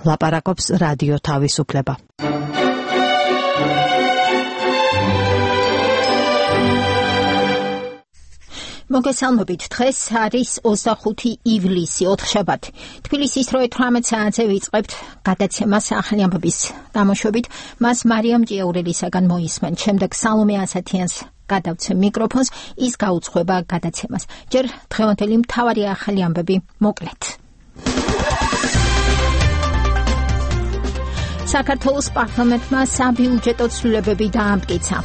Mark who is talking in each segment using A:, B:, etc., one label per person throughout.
A: ლაპარაკობს რადიო თავისუფლება. მოგესალმებით, დღეს არის 25 ივლისი, ოთხშაბათი. თბილისის რო 18 საათზე ვიწყებთ გადაცემას ახალი ამბების გამოშვებით. მას მარიამ ჭიაურელისაგან მოისმენთ. შემდეგ სალომე ასათიანს გადავცემ მიკროფონს, ის გაუძღვება გადაცემას. ჯერ დღევანდელი მთავარი ახალი ამბები მოკლედ. საქართველოს პარლამენტმა საბიუჯეტო ცვლილებები დაამტკიცა.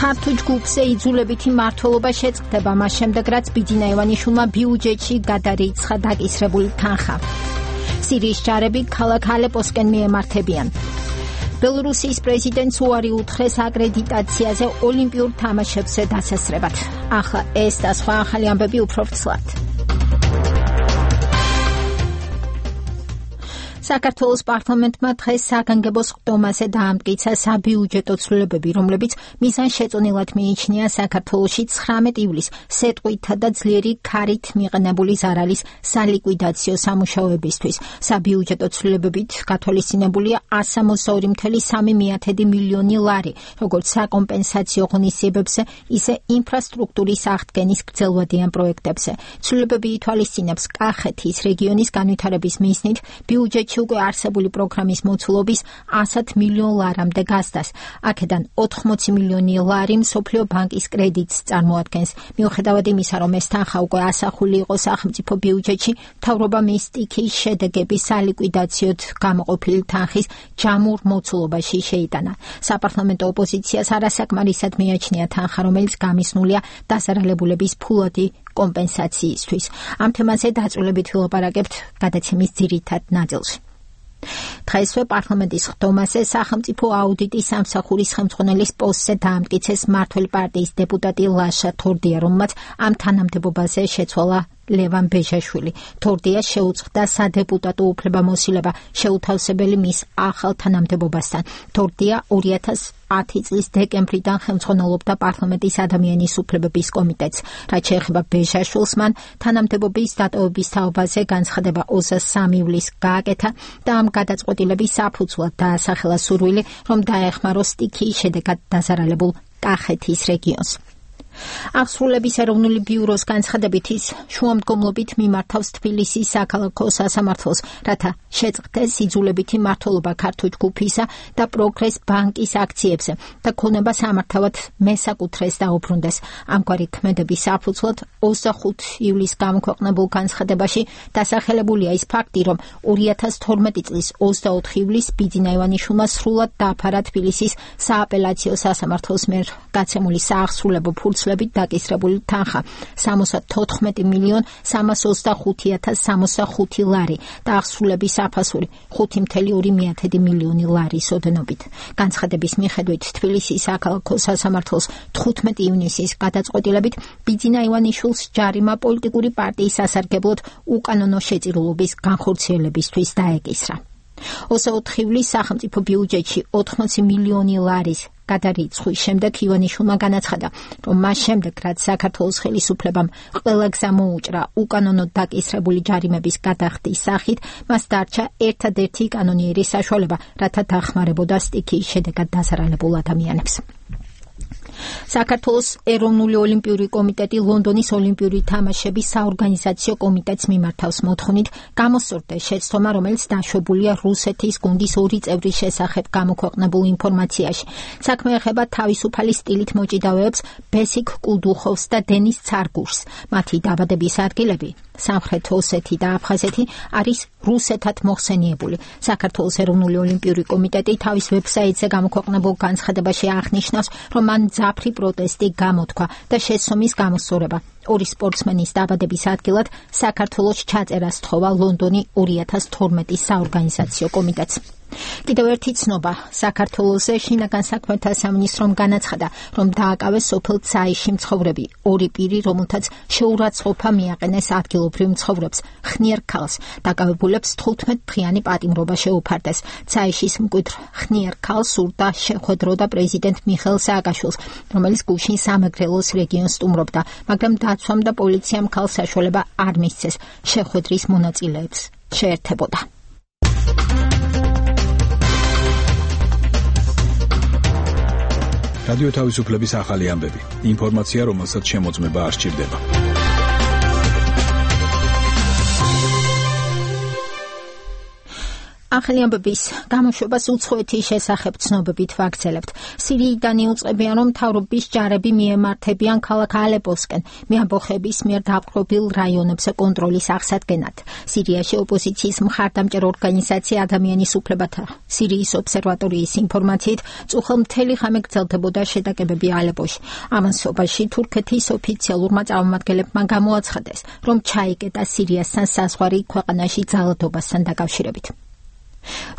A: ქართულ ჯგუფზე იძულებითი მმართველობა შეწყდება მას შემდეგ, რაც ბიძინა ივანიშვილმა ბიუჯეტში გადარიცხა დაკისრებული თანხა. სირიის ჯარები ქალაქ ალეპოსკენ მიემართებიან. ბელორუსიის პრეზიდენტს უარი უთხრეს აკრედიტაციაზე ოლიმპიურ თამაშებზე დასასრებად. ახლა ეს და სხვა ახალი ამბები უფრო ვრცლად. საქართველოს პარლამენტმა დღეს საგანგებო სხდომაზე დაამტკიცა საბიუჯეტო ცვლილებები, რომლებიც მიზანშეწონილად მიიჩნია საქართველოში 19 ივლისს სეტყვითა და ძლიერი ქარით მიყენებული ზარალის სალიკვიდაციო სამუშაოებისთვის. საბიუჯეტო ცვლილებებით გათვალისწინებულია 162,3 მილიონი ლარი, როგორც საკომპენსაციო ღონისძიებებზე, ისე ინფრასტრუქტურის აღდგენის გრძელვადიან პროექტებზე. ცვლილებები ითვალისწინებს კახეთის რეგიონის განვითარების მიზნით ბიუჯეტში უკვე არსებული პროგრამის მოცულობის 100 მილიონ ლარამდე გასდას. აქედან 80 მილიონი ლარი მსოფლიო ბანკის კრედიტს წარმოადგენს. მიუხედავად იმისა, რომ ეს თანხა უკვე ასახული იყო სახელმწიფო ბიუჯეტში, მთავრობა მის სტიქიის შედეგების სალიკვიდაციოდ გამოყოფილი თანხის ჯამურ მოცულობაში შეიტანა. საპარლამენტო ოპოზიციას არასაკმარისად მიაჩნია თანხა, რომელიც გამისნულია დასარალებულების ფულადი კომპენსაციისთვის. ამ თემაზე დაწვრილებით ვილაპარაკებთ გადაცემის ძირითად ნაწილში. დღესვე პარლამენტის სხდომაზე სახელმწიფო აუდიტის სამსახურის ხელმძღვანელის პოსტზე დაამტკიცეს მმართველი პარტიის დეპუტატი ლაშა თორდია, რომელმაც ამ თანამდებობაზე შეცვალა ლევან ბეჟაშვილი. თორდიას შეუწყდა სადეპუტატო უფლებამოსილება შეუთავსებელი მის ახალ თანამდებობასთან. თორდია 2010 წლის დეკემბრიდან ხელმძღვანელობდა პარლამენტის ადამიანის უფლებების კომიტეტს. რაც შეეხება ბეჟაშვილს, მან თანამდებობის დატოვების თაობაზე განცხადება 23 ივლისს გააკეთა და ამ გადაწყვეტილების საფუძვლად დაასახელა სურვილი, რომ დაეხმაროს სტიქიის შედეგად დაზარალებულ კახეთის რეგიონს. აღსრულების ეროვნული ბიუროს განცხადებით ის შუამდგომლობით მიმართავს თბილისის საქალაქო სასამართლოს, რათა შეწყდეს იძულებითი მმართველობა ქართულ ჯგუფისა და პროგრეს ბანკის აქციებზე და ქონება სამართავად მესაკუთრეს დაუბრუნდეს. ამგვარი ქმედების საფუძვლად 25 ივლისს გამოქვეყნებულ განცხადებაში დასახელებულია ის ფაქტი, რომ 2012 წლის 24 ივლისს ბიძინა ივანიშვილმა სრულად დააფარა თბილისის სააპელაციო სასამართლოს მიერ გაცემული საახსრულებო ფურცლებით დაკისრებული თანხა 74 მილიონ 325,065 ლარი და აღსრულების საფასური 5,2 მილიონი ლარის ოდენობით. განცხადების მიხედვით თბილისის საქალაქო სასამართლოს 15 ივნისის გადაწყვეტილებით ბიძინა ივანიშვილს ჯარიმა პოლიტიკური პარტიის სასარგებლოდ უკანონო შეწირულობის განხორციელებისთვის დაეკისრა. 24 ივლისს სახელმწიფო ბიუჯეტში 80 მილიონი ლარის გადარიცხვის შემდეგ ივანიშვილმა განაცხადა, რომ მას შემდეგ, რაც საქართველოს ხელისუფლებამ ყველა გზა მოუჭრა უკანონოდ დაკისრებული ჯარიმების გადახდის სახით, მას დარჩა ერთადერთი კანონიერი საშუალება, რათა დახმარებოდა სტიქიის შედეგად დასარალებულ ადამიანებს. საქართველოს ეროვნული ოლიმპიური კომიტეტი ლონდონის ოლიმპიური თამაშების საორგანიზაციო კომიტეტს მიმართავს მოთხოვნით გამოსწორდეს შეცდომა, რომელიც დაშვებულია რუსეთის გუნდის 2 წევრის შესახებ გამოქვეყნებულ ინფორმაციაში. საქმე ეხება თავისუფალი სტილით მოჭიდავეებს ბესიკ კულდუხოვს და დენის ცარგურს. მათი დაბადების ადგილები სამხრეთ ოსეთი და აფხაზეთი არის რუსეთად მოხსენიებული. საქართველოს ეროვნული ოლიმპიური კომიტეტი თავის ვებსაიტზე გამოქვეყნებულ განცხადებაში აღნიშნავს, რომ მან ძაფრი პროტესტი გამოთქვა და შეცდომის გამოსწორება. ორი სპორტსმენის დაბადების ადგილად საქართველოს ჩაწერას თხოვა ლონდონი 2012 საორგანიზაციო კომიტეტს. კიდევ ერთი ცნობა საქართველოსზე შინაგან საქმეთა სამინისტრომ განაცხადა, რომ დააკავეს სოფელ ცაიში მცხოვრები ორი პირი, რომელთაც შეურაცხყოფა მიაყენეს ადგილობრივ მცხოვრებს ხნიერ ქალს. დაკავებულებს 15 დღიანი პატიმრობა შეუფარდეს. ცაიშის მკვიდრ ხნიერ ქალს სურდა შეხვედროდა პრეზიდენტ მიხეილ სააკაშვილს, რომელიც გუშინ სამეგრელოს რეგიონს სტუმრობდა, მაგრამ დაცვამ და პოლიციამ ქალს საშუალება არ მისცეს შეხვედრის მონაწილეებს შეერთებოდა.
B: რადიო თავისუფლების ახალი ამბები. ინფორმაცია, რომელსაც შემოწმება არ სჭირდება.
A: ახალი ამბების გამოშვებას უცხოეთის შესახებ ცნობებით ვაგრძელებთ. სირიიდან იუწყებიან, რომ მთავრობის ჯარები მიემართებიან ქალაქ ალეპოსკენ, მეამბოხების მიერ დაპყრობილ რაიონებზე კონტროლის აღსადგენად. სირიაში ოპოზიციის მხარდამჭერ ორგანიზაცია ადამიანის უფლებათა სირიის ობსერვატორიის ინფორმაციით, წუხელ მთელი ღამე გრძელდებოდა შეტაკებები ალეპოში. ამასობაში თურქეთის ოფიციალურმა წარმომადგენლებმა გამოაცხადეს, რომ ჩაიკეტა სირიასთან საზღვარი ქვეყანაში ძალადობასთან დაკავშირებით.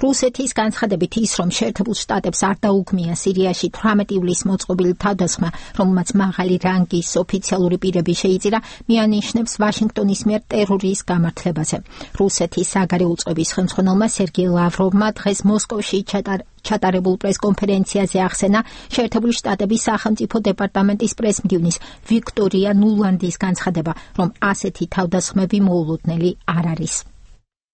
A: რუსეთის განცხადებით ის, რომ შეერთებულ შტატებს არ დაუქმია სირიაში 18 ივლისს მოწყობილი თავდასხმა, რომელმაც მაღალი რანგის ოფიციალური პირები შეიწირა, მიანიშნებს ვაშინგტონის მიერ ტერორის გამართლებაზე. რუსეთის საგარეო უწყების ხელმძღვანელმა სერგეი ლავროვმა დღეს მოსკოვში ჩატარებულ პრესკონფერენციაზე ახსენა შეერთებული შტატების სახელმწიფო დეპარტამენტის პრესმდივნის ვიქტორია ნულანდის განცხადება, რომ ასეთი თავდასხმები მოულოდნელი არ არის.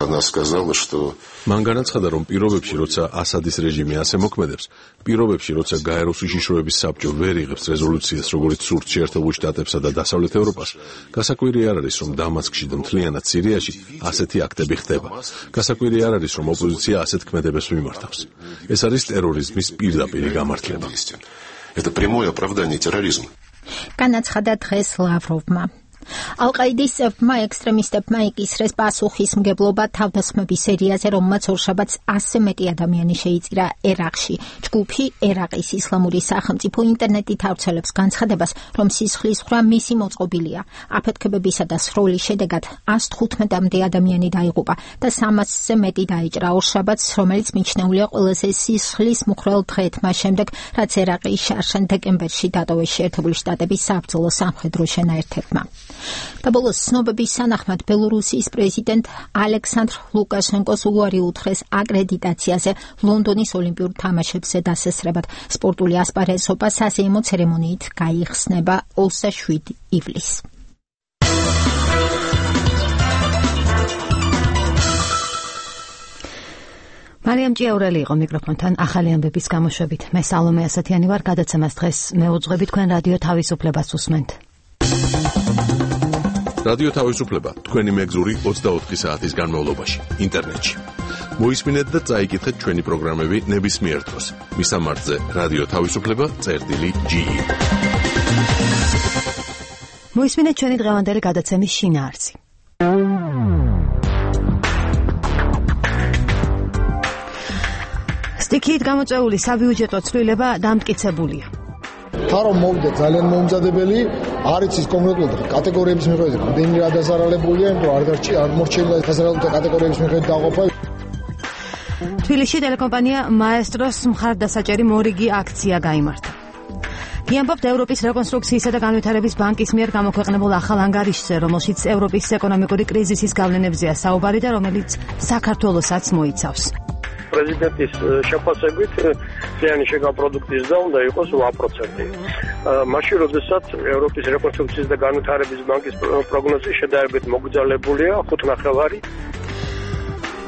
C: Она сказала, что
D: მან განაცხადა, რომ პირობებში, როცა ასადის რეჟიმი ასე მოქმედებს, პირობებში, როცა გაეროს უშიშროების საბჭო ვერ იღებს რეზოლუციას, როგორც სურთ შეერთებულ შტატებსა და დასავლეთ ევროპას, გასაკვირი არ არის, რომ დამასკში და მთლიანად სირიაში ასეთი აქტები ხდება. გასაკვირი არ არის, რომ ოპოზიცია ასეთ ქმედებას მიმართავს. ეს არის ტერორიზმის პირდაპირი გამართლება.
C: Это прямое оправдание терроризма.
A: განაცხადა დღეს ლავროვმა. ალ-ყაიდის წევრმა ექსტრემისტებმა იკისრეს პასუხისმგებლობა თავდასხმების სერიაზე, რომელმაც ორშაბათს 100 მეტი ადამიანი შეიწირა ერაყში. ჯგუფი ერაყის ისლამური სახელმწიფო ინტერნეტით ავრცელებს განცხადებას, რომ სისხლისღვრა მისი მოწყობილია. აფეთქებებისა და სროლის შედეგად 115-მდე ადამიანი დაიღუპა და 300-ზე მეტი დაიჭრა ორშაბათს, რომელიც მიჩნეულია ყველაზე სისხლისმუხრელ დღედ მას შემდეგ, რაც ერაყის შარშან დეკემბერში დატოვეს შეერთებული შტატების საბრძოლო სამხედრო შენაერთებმა. და ბოლოს ცნობების სანახმად ბელორუსიის პრეზიდენტ ალექსანდრ ლუკაშენკოს უარი უთხრეს აკრედიტაციაზე ლონდონის ოლიმპიურ თამაშებზე დასესრებად. სპორტული ასპარეზობა საზეიმო ცერემონიით გაიხსნება 27 ივლისს.
E: მარიამ ჭიაურელი იყო მიკროფონთან ახალი ამბების გამოშვებით. მე სალომე ასათიანი ვარ, გადაცემას დღეს მეუძღვები, თქვენ რადიო თავისუფლებას უსმენთ.
D: რადიო თავისუფლება თქვენი მეგზური 24 საათის განმავლობაში ინტერნეტში. მოისმინეთ და წაიკითხეთ ჩვენი პროგრამები ნებისმიერ დროს. მისამართზე რადიო თავისუფლება.ge.
E: მოისმინეთ ჩვენი დღევანდელი გადაცემის შინაარსი. სტიქიით გამოწვეული საბიუჯეტო ცვლილება დამტკიცებულია.
F: თარო მოვიდა ძალიან მომზადებელი, არის ის კონკრეტულად კატეგორიების მიხედვით, რამდენი რა დასარალებულია, იმიტომ არ მორჩენილა დასარალებული კატეგორიების მიხედვით დაყოფა.
E: თბილისში ტელეკომპანია მაესტროს მხარდასაჭერი მორიგი აქცია გაიმართა. გიამბობთ ევროპის რეკონსტრუქციისა და განვითარების ბანკის მიერ გამოქვეყნებულ ახალ ანგარიშზე, რომელშიც ევროპის ეკონომიკური კრიზისის გავლენებზეა საუბარი და რომელიც საქართველოსაც მოიცავს.
G: პრეზიდენტის შეფასებით ზიანი შეგა პროდუქტის და უნდა იყოს 8%. მაშინ როდესაც ევროპის რეკონსტრუქციის და განვითარების ბანკის პროგნოზი შედარებით მოგრძალებულია 5.9.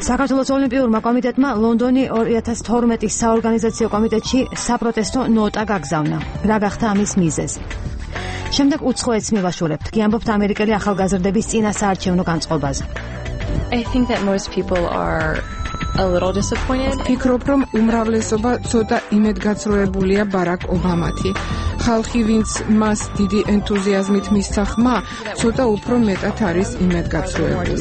E: საქართველოს ოლიმპიურმა კომიტეტმა ლონდონი 2012-ის საორგანიზაციო კომიტეტში საპროტესტო ნოტა გაგზავნა. რა გახდა ამის მიზეზი? შემდეგ უცხოეთს მივაშურებთ, გიამბობთ ამერიკელი ახალგაზრდების წინასაარჩევნო განწყობაზე.
H: I think that most people are a little disappointed.
I: ფიქრობ, რომ უმრავლესობა ცოტა იმედგაცრუებულია ბარაკ ობამათი. ხალხი, ვინც მას დიდი ენთუზიაზმით მისცა ხმა, ცოტა უფრო მეტად არის იმედგაცრუებული.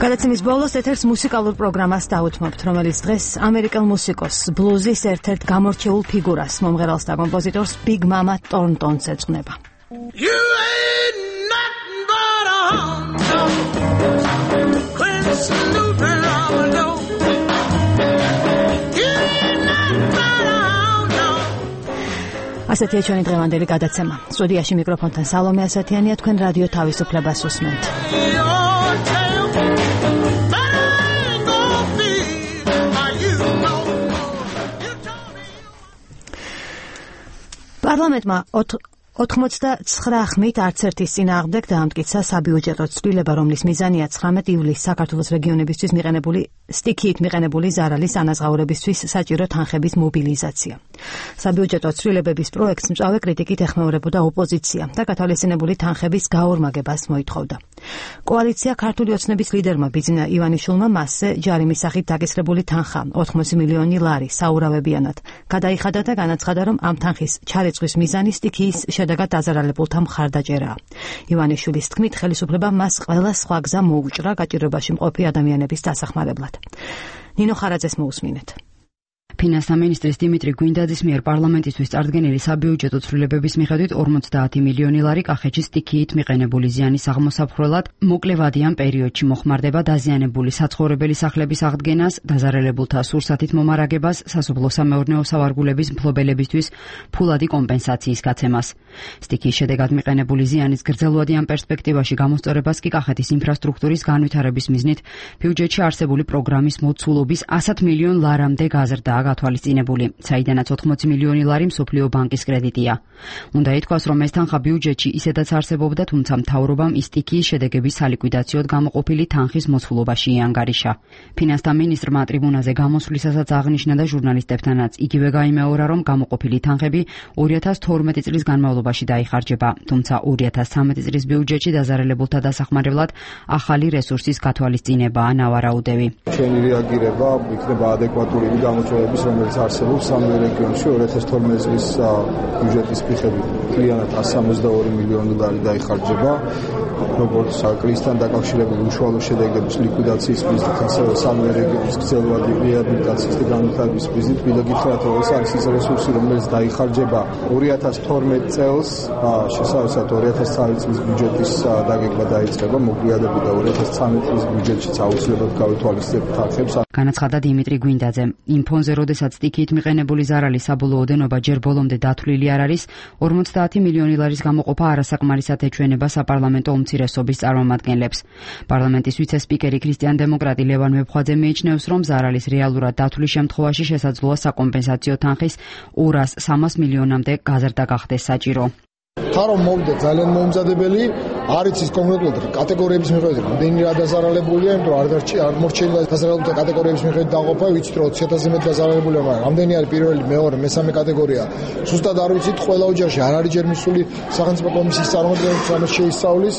E: გადაცემის ბოლოს ეთერს მუსიკალურ პროგრამას დაუთმობთ, რომელიც დღეს ამერიკელ მუსიკოს ბლუზის ერთ-ერთ გამორჩეულ ფიგურას, მომღერალს და კომპოზიტორს Big Mama Thornton's ეძღვნება.
J: You ain't nothing but a hound dog.
E: ასეთია ჩვენი დღევანდელი გადაცემა. სტუდიაში მიკროფონთან სალომე ასათიანია, თქვენ რადიო თავისუფლებას უსმენთ. პარლამენტმა 89 ხმით არც ერთის წინააღმდეგ დაამტკიცა საბიუჯეტო ცვლილება, რომლის მიზანია 19 ივლისს საქართველოს რეგიონებისთვის მიყენებული სტიქიით მიყენებული ზარალის ანაზღაურებისთვის საჭირო თანხების მობილიზაცია. საბიუჯეტო ცვლილებების პროექტს მწვავე კრიტიკით ეხმეურებოდა ოპოზიცია და გათვალისწინებული თანხების გაორმაგებას მოითხოვდა. კოალიცია ქართული ოცნების ლიდერმა ბიძინა ივანიშვილმა მასზე ჯარიმის სახით დაგესრებული თანხა 80 მილიონი ლარი საურავებიანად გადაიხადა და განაცხადა, რომ ამ თანხის ჩარეწვის მიზანი სტიქიის შედეგად დაზარალებულთა მხარდაჭერაა. ივანიშვილის თქმით, ხელისუფლებამ მას ყველა სხვა გზა მოუჭრა გაჭირვებაში მყოფი ადამიანების დასახმარებლად. ნინო ხარაძეს მოусმინეთ.
K: ფინანსთა მინისტრის დიმიტრი გვინდაძის მიერ პარლამენტისთვის წარდგენილი საბიუჯეტო ცვლილებების მიხედვით 50 მილიონი ლარი კახეთში სტიქიით მიყენებული ზიანის აღმოსაფხვრელად მოკლევადიან პერიოდში მოხმარდება დაზიანებული საცხოვრებელი სახლების აღდგენას, დაზარალებულთა სურსათით მომარაგებას, სასოფლო-სამეურნეო სავარგულების მფლობელებისთვის ფულადი კომპენსაციის გაცემას. სტიქიის შედეგად მიყენებული ზიანის გრძელვადიან პერსპექტივაში გამოსწორებას კი კახეთის ინფრასტრუქტურის განვითარების მიზნით ბიუჯეტში არსებული პროგრამის მოცულობის 100 მილიონ ლარამდე გაზრდა გათვალისწინებული, საიდანაც 80 მილიონი ლარი მსოფლიო ბანკის კრედიტია. უნდა ითქვას, რომ ეს თანხა ბიუჯეტში ისედაც არსებობდა, თუმცა მთავრობამ ის სტიქიის შედეგების სალიკვიდაციოდ გამოყოფილი თანხის მოცულობაში იანგარიშა. ფინანსთა მინისტრმა ტრიბუნაზე გამოსვლისასაც აღნიშნა და ჟურნალისტებთანაც იგივე გაიმეორა, რომ გამოყოფილი თანხები 2012 წლის განმავლობაში დაიხარჯება, თუმცა 2013 წლის ბიუჯეტში დაზარალებულთა დასახმარებლად ახალი რესურსის გათვალისწინებაა ნავარაუდევი.
F: ჩვენი რეაგირება იქნება ადეკვატური გამოწვევების, რომელიც არსებობს სამივე რეგიონში 2012 წლის ბიუჯეტის მიხედვით მთლიანად 162 მილიონი ლარი დაიხარჯება, როგორც კრიზისთან დაკავშირებული უშუალო შედეგების ლიკვიდაციის მიზნით, ასევე სამივე რეგიონის გრძელვადი რეაბილიტაციის და განვითარების მიზნით. მინდა გითხრათ, რომ ეს არის ის რესურსი, რომელიც დაიხარჯება 2012 წელს, შესაბამისად 2013 წლის ბიუჯეტის დაგეგმა დაიწყება, მოგვიადებით და 2013 წლის ბიუჯეტშიც აუცილებლად გავითვალისწინებთ თანხებს.
K: განაცხადა დიმიტრი გვინდაძე. იმ ფონზე, როდესაც სტიქიით მიყენებული ზარალის საბოლოო ოდენობა ჯერ ბოლომდე დათვლილი არ არის, 50 მილიონი ლარის გამოყოფა არასაკმარისად ეჩვენება საპარლამენტო უმცირესობის წარმომადგენლებს. პარლამენტის ვიცე-სპიკერი ქრისტიან-დემოკრატი ლევან მებხვაძე მიიჩნევს, რომ ზარალის რეალურად დათვლის შემთხვევაში შესაძლოა საკომპენსაციო თანხის 200-300 მილიონამდე გაზრდა გახდეს საჭირო.
F: ხარო მოვიდა ძალიან მომზადებელი, არ იცის კონკრეტულად კატეგორიების მიხედვით რამდენი რა დაზარალებულია, იმიტომ არ მორჩენილა დაზარალებულთა კატეგორიების მიხედვით დაყოფა, ვიცით რომ 20.000-ზე მეტ დაზარალებულია, მაგრამ რამდენი არის პირველი, მეორე, მესამე კატეგორია. ზუსტად არ ვიცით, ყველა ოჯახში არ არის ჯერ მისული სახელმწიფო კომისიის წარმომადგენლებს რამეს შეისწავლის.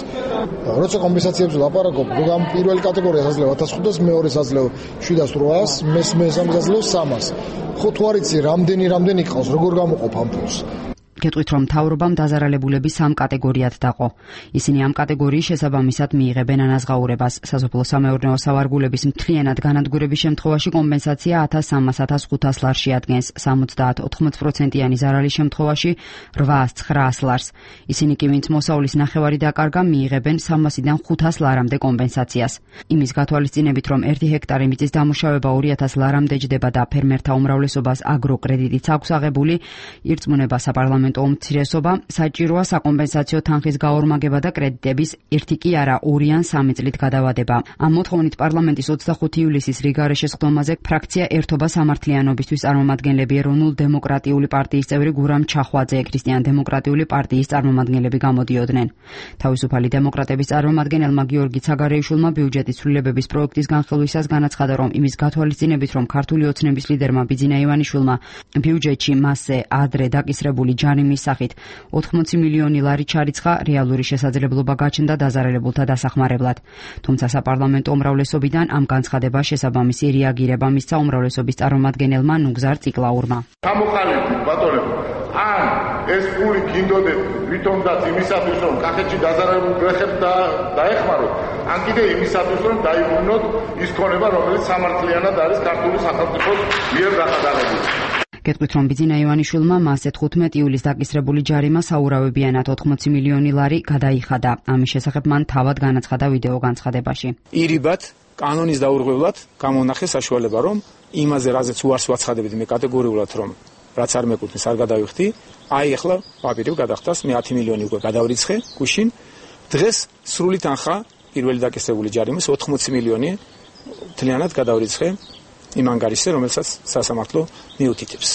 F: როცა კომპენსაციებზე ლაპარაკობ, რომ პირველი კატეგორია საძლევა 1500, მეორე საძლევა 700-800, მესამე საძლევა 300. ხო თუ არ იცი რამდენი ყავს, როგორ გამოყოფ ამ ფულს?
K: გეტყვით, რომ მთავრობამ დაზარალებულები 3 კატეგორიად დაყო. ისინი ამ კატეგორიის შესაბამისად მიიღებენ ანაზღაურებას. სასოფლო-სამეურნეო სავარგულების მთლიანად განადგურების შემთხვევაში კომპენსაცია 1300-1500 ლარს შეადგენს, 70-80%-იანი ზარალის შემთხვევაში 800-900 ლარს. ისინი კი, ვინც მოსავლის ნახევარი დაკარგა, მიიღებენ 300-დან 500 ლარამდე კომპენსაციას. იმის გათვალისწინებით, რომ 1 ჰექტარი მიწის დამუშავება 2000 ლარამდე ჯდება და ფერმერთა უმრავლესობას აგროკრედიტიც აქვს აღებული, ირწმუნება საპარლამენტო უმცირესობა, საჭიროა საკომპენსაციო თანხის გაორმაგება და კრედიტების 1 კი არა 2 ან 3 წლით გადავადება. ამ მოთხოვნით პარლამენტის 25 ივლისის რიგარე შესხდომაზე ფრაქცია ერთობა სამართლიანობისთვის წარმომადგენლები ეროვნულ დემოკრატიული პარტიის წევრი გურამ ჩახვაძე, ქრისტიან-დემოკრატიული პარტიის წარმომადგენლები გამოდიოდნენ. თავისუფალი დემოკრატების წარმომადგენელმა გიორგი ცაგარეიშვილმა ბიუჯეტის ცვლილებების პროექტის განხილვისას განაცხადა, რომ იმის გათვალისწინებით, რომ ქართული ოცნების ლიდერმა ბიძინა ივანიშვილმა ბიუჯეტში მასზე ადრე დაკისრებული ჯარიმის სახით 80 მილიონი ლარი ჩარიცხა, რეალური შესაძლებლობა გაჩნდა დაზარალებულთა დასახმარებლად. თუმცა საპარლამენტო უმრავლესობიდან ამ განცხადებას შესაბამისი რეაგირება მისცა უმრავლესობის წარმომადგენელმა ნუგზარ ციკლაურმა.
L: გამოყალიბდით ბატონებო, ან ეს ფული გინდოდეთ ვითომდაც იმისათვის, რომ კახეთში დაზარალებულ გლეხებს დაეხმაროთ, ან კიდე იმისათვის, რომ დაიბრუნოთ ის ქონება, რომელიც სამართლიანად არის ქართული სახელმწიფოს მიერ გადაღებული.
K: გეტყვით, რომ ბიძინა ივანიშვილმა მასზე 15 ივლისს დაკისრებული ჯარიმა საურავებიანად 80 მილიონი ლარი გადაიხადა. ამის შესახებ მან თავად განაცხადა ვიდეო განცხადებაში.
B: ირიბად კანონის დაურღვევლად გამონახე საშუალება, რომ იმაზე, რაზეც უარს ვაცხადებით მე კატეგორიულად, რომ რაც არ მეკუთვნის, არ გადავიხდი, აი ახლა პაპირი გადახტას, მე 10 მილიონი უკვე გადავრიცხე გუშინ. დღეს სრული თანხა პირველი დაკისრებული ჯარიმის 80 მილიონი მთლიანად გადავრიცხე იმ ანგარიშზე, რომელსაც სასამართლო მიუთითებს.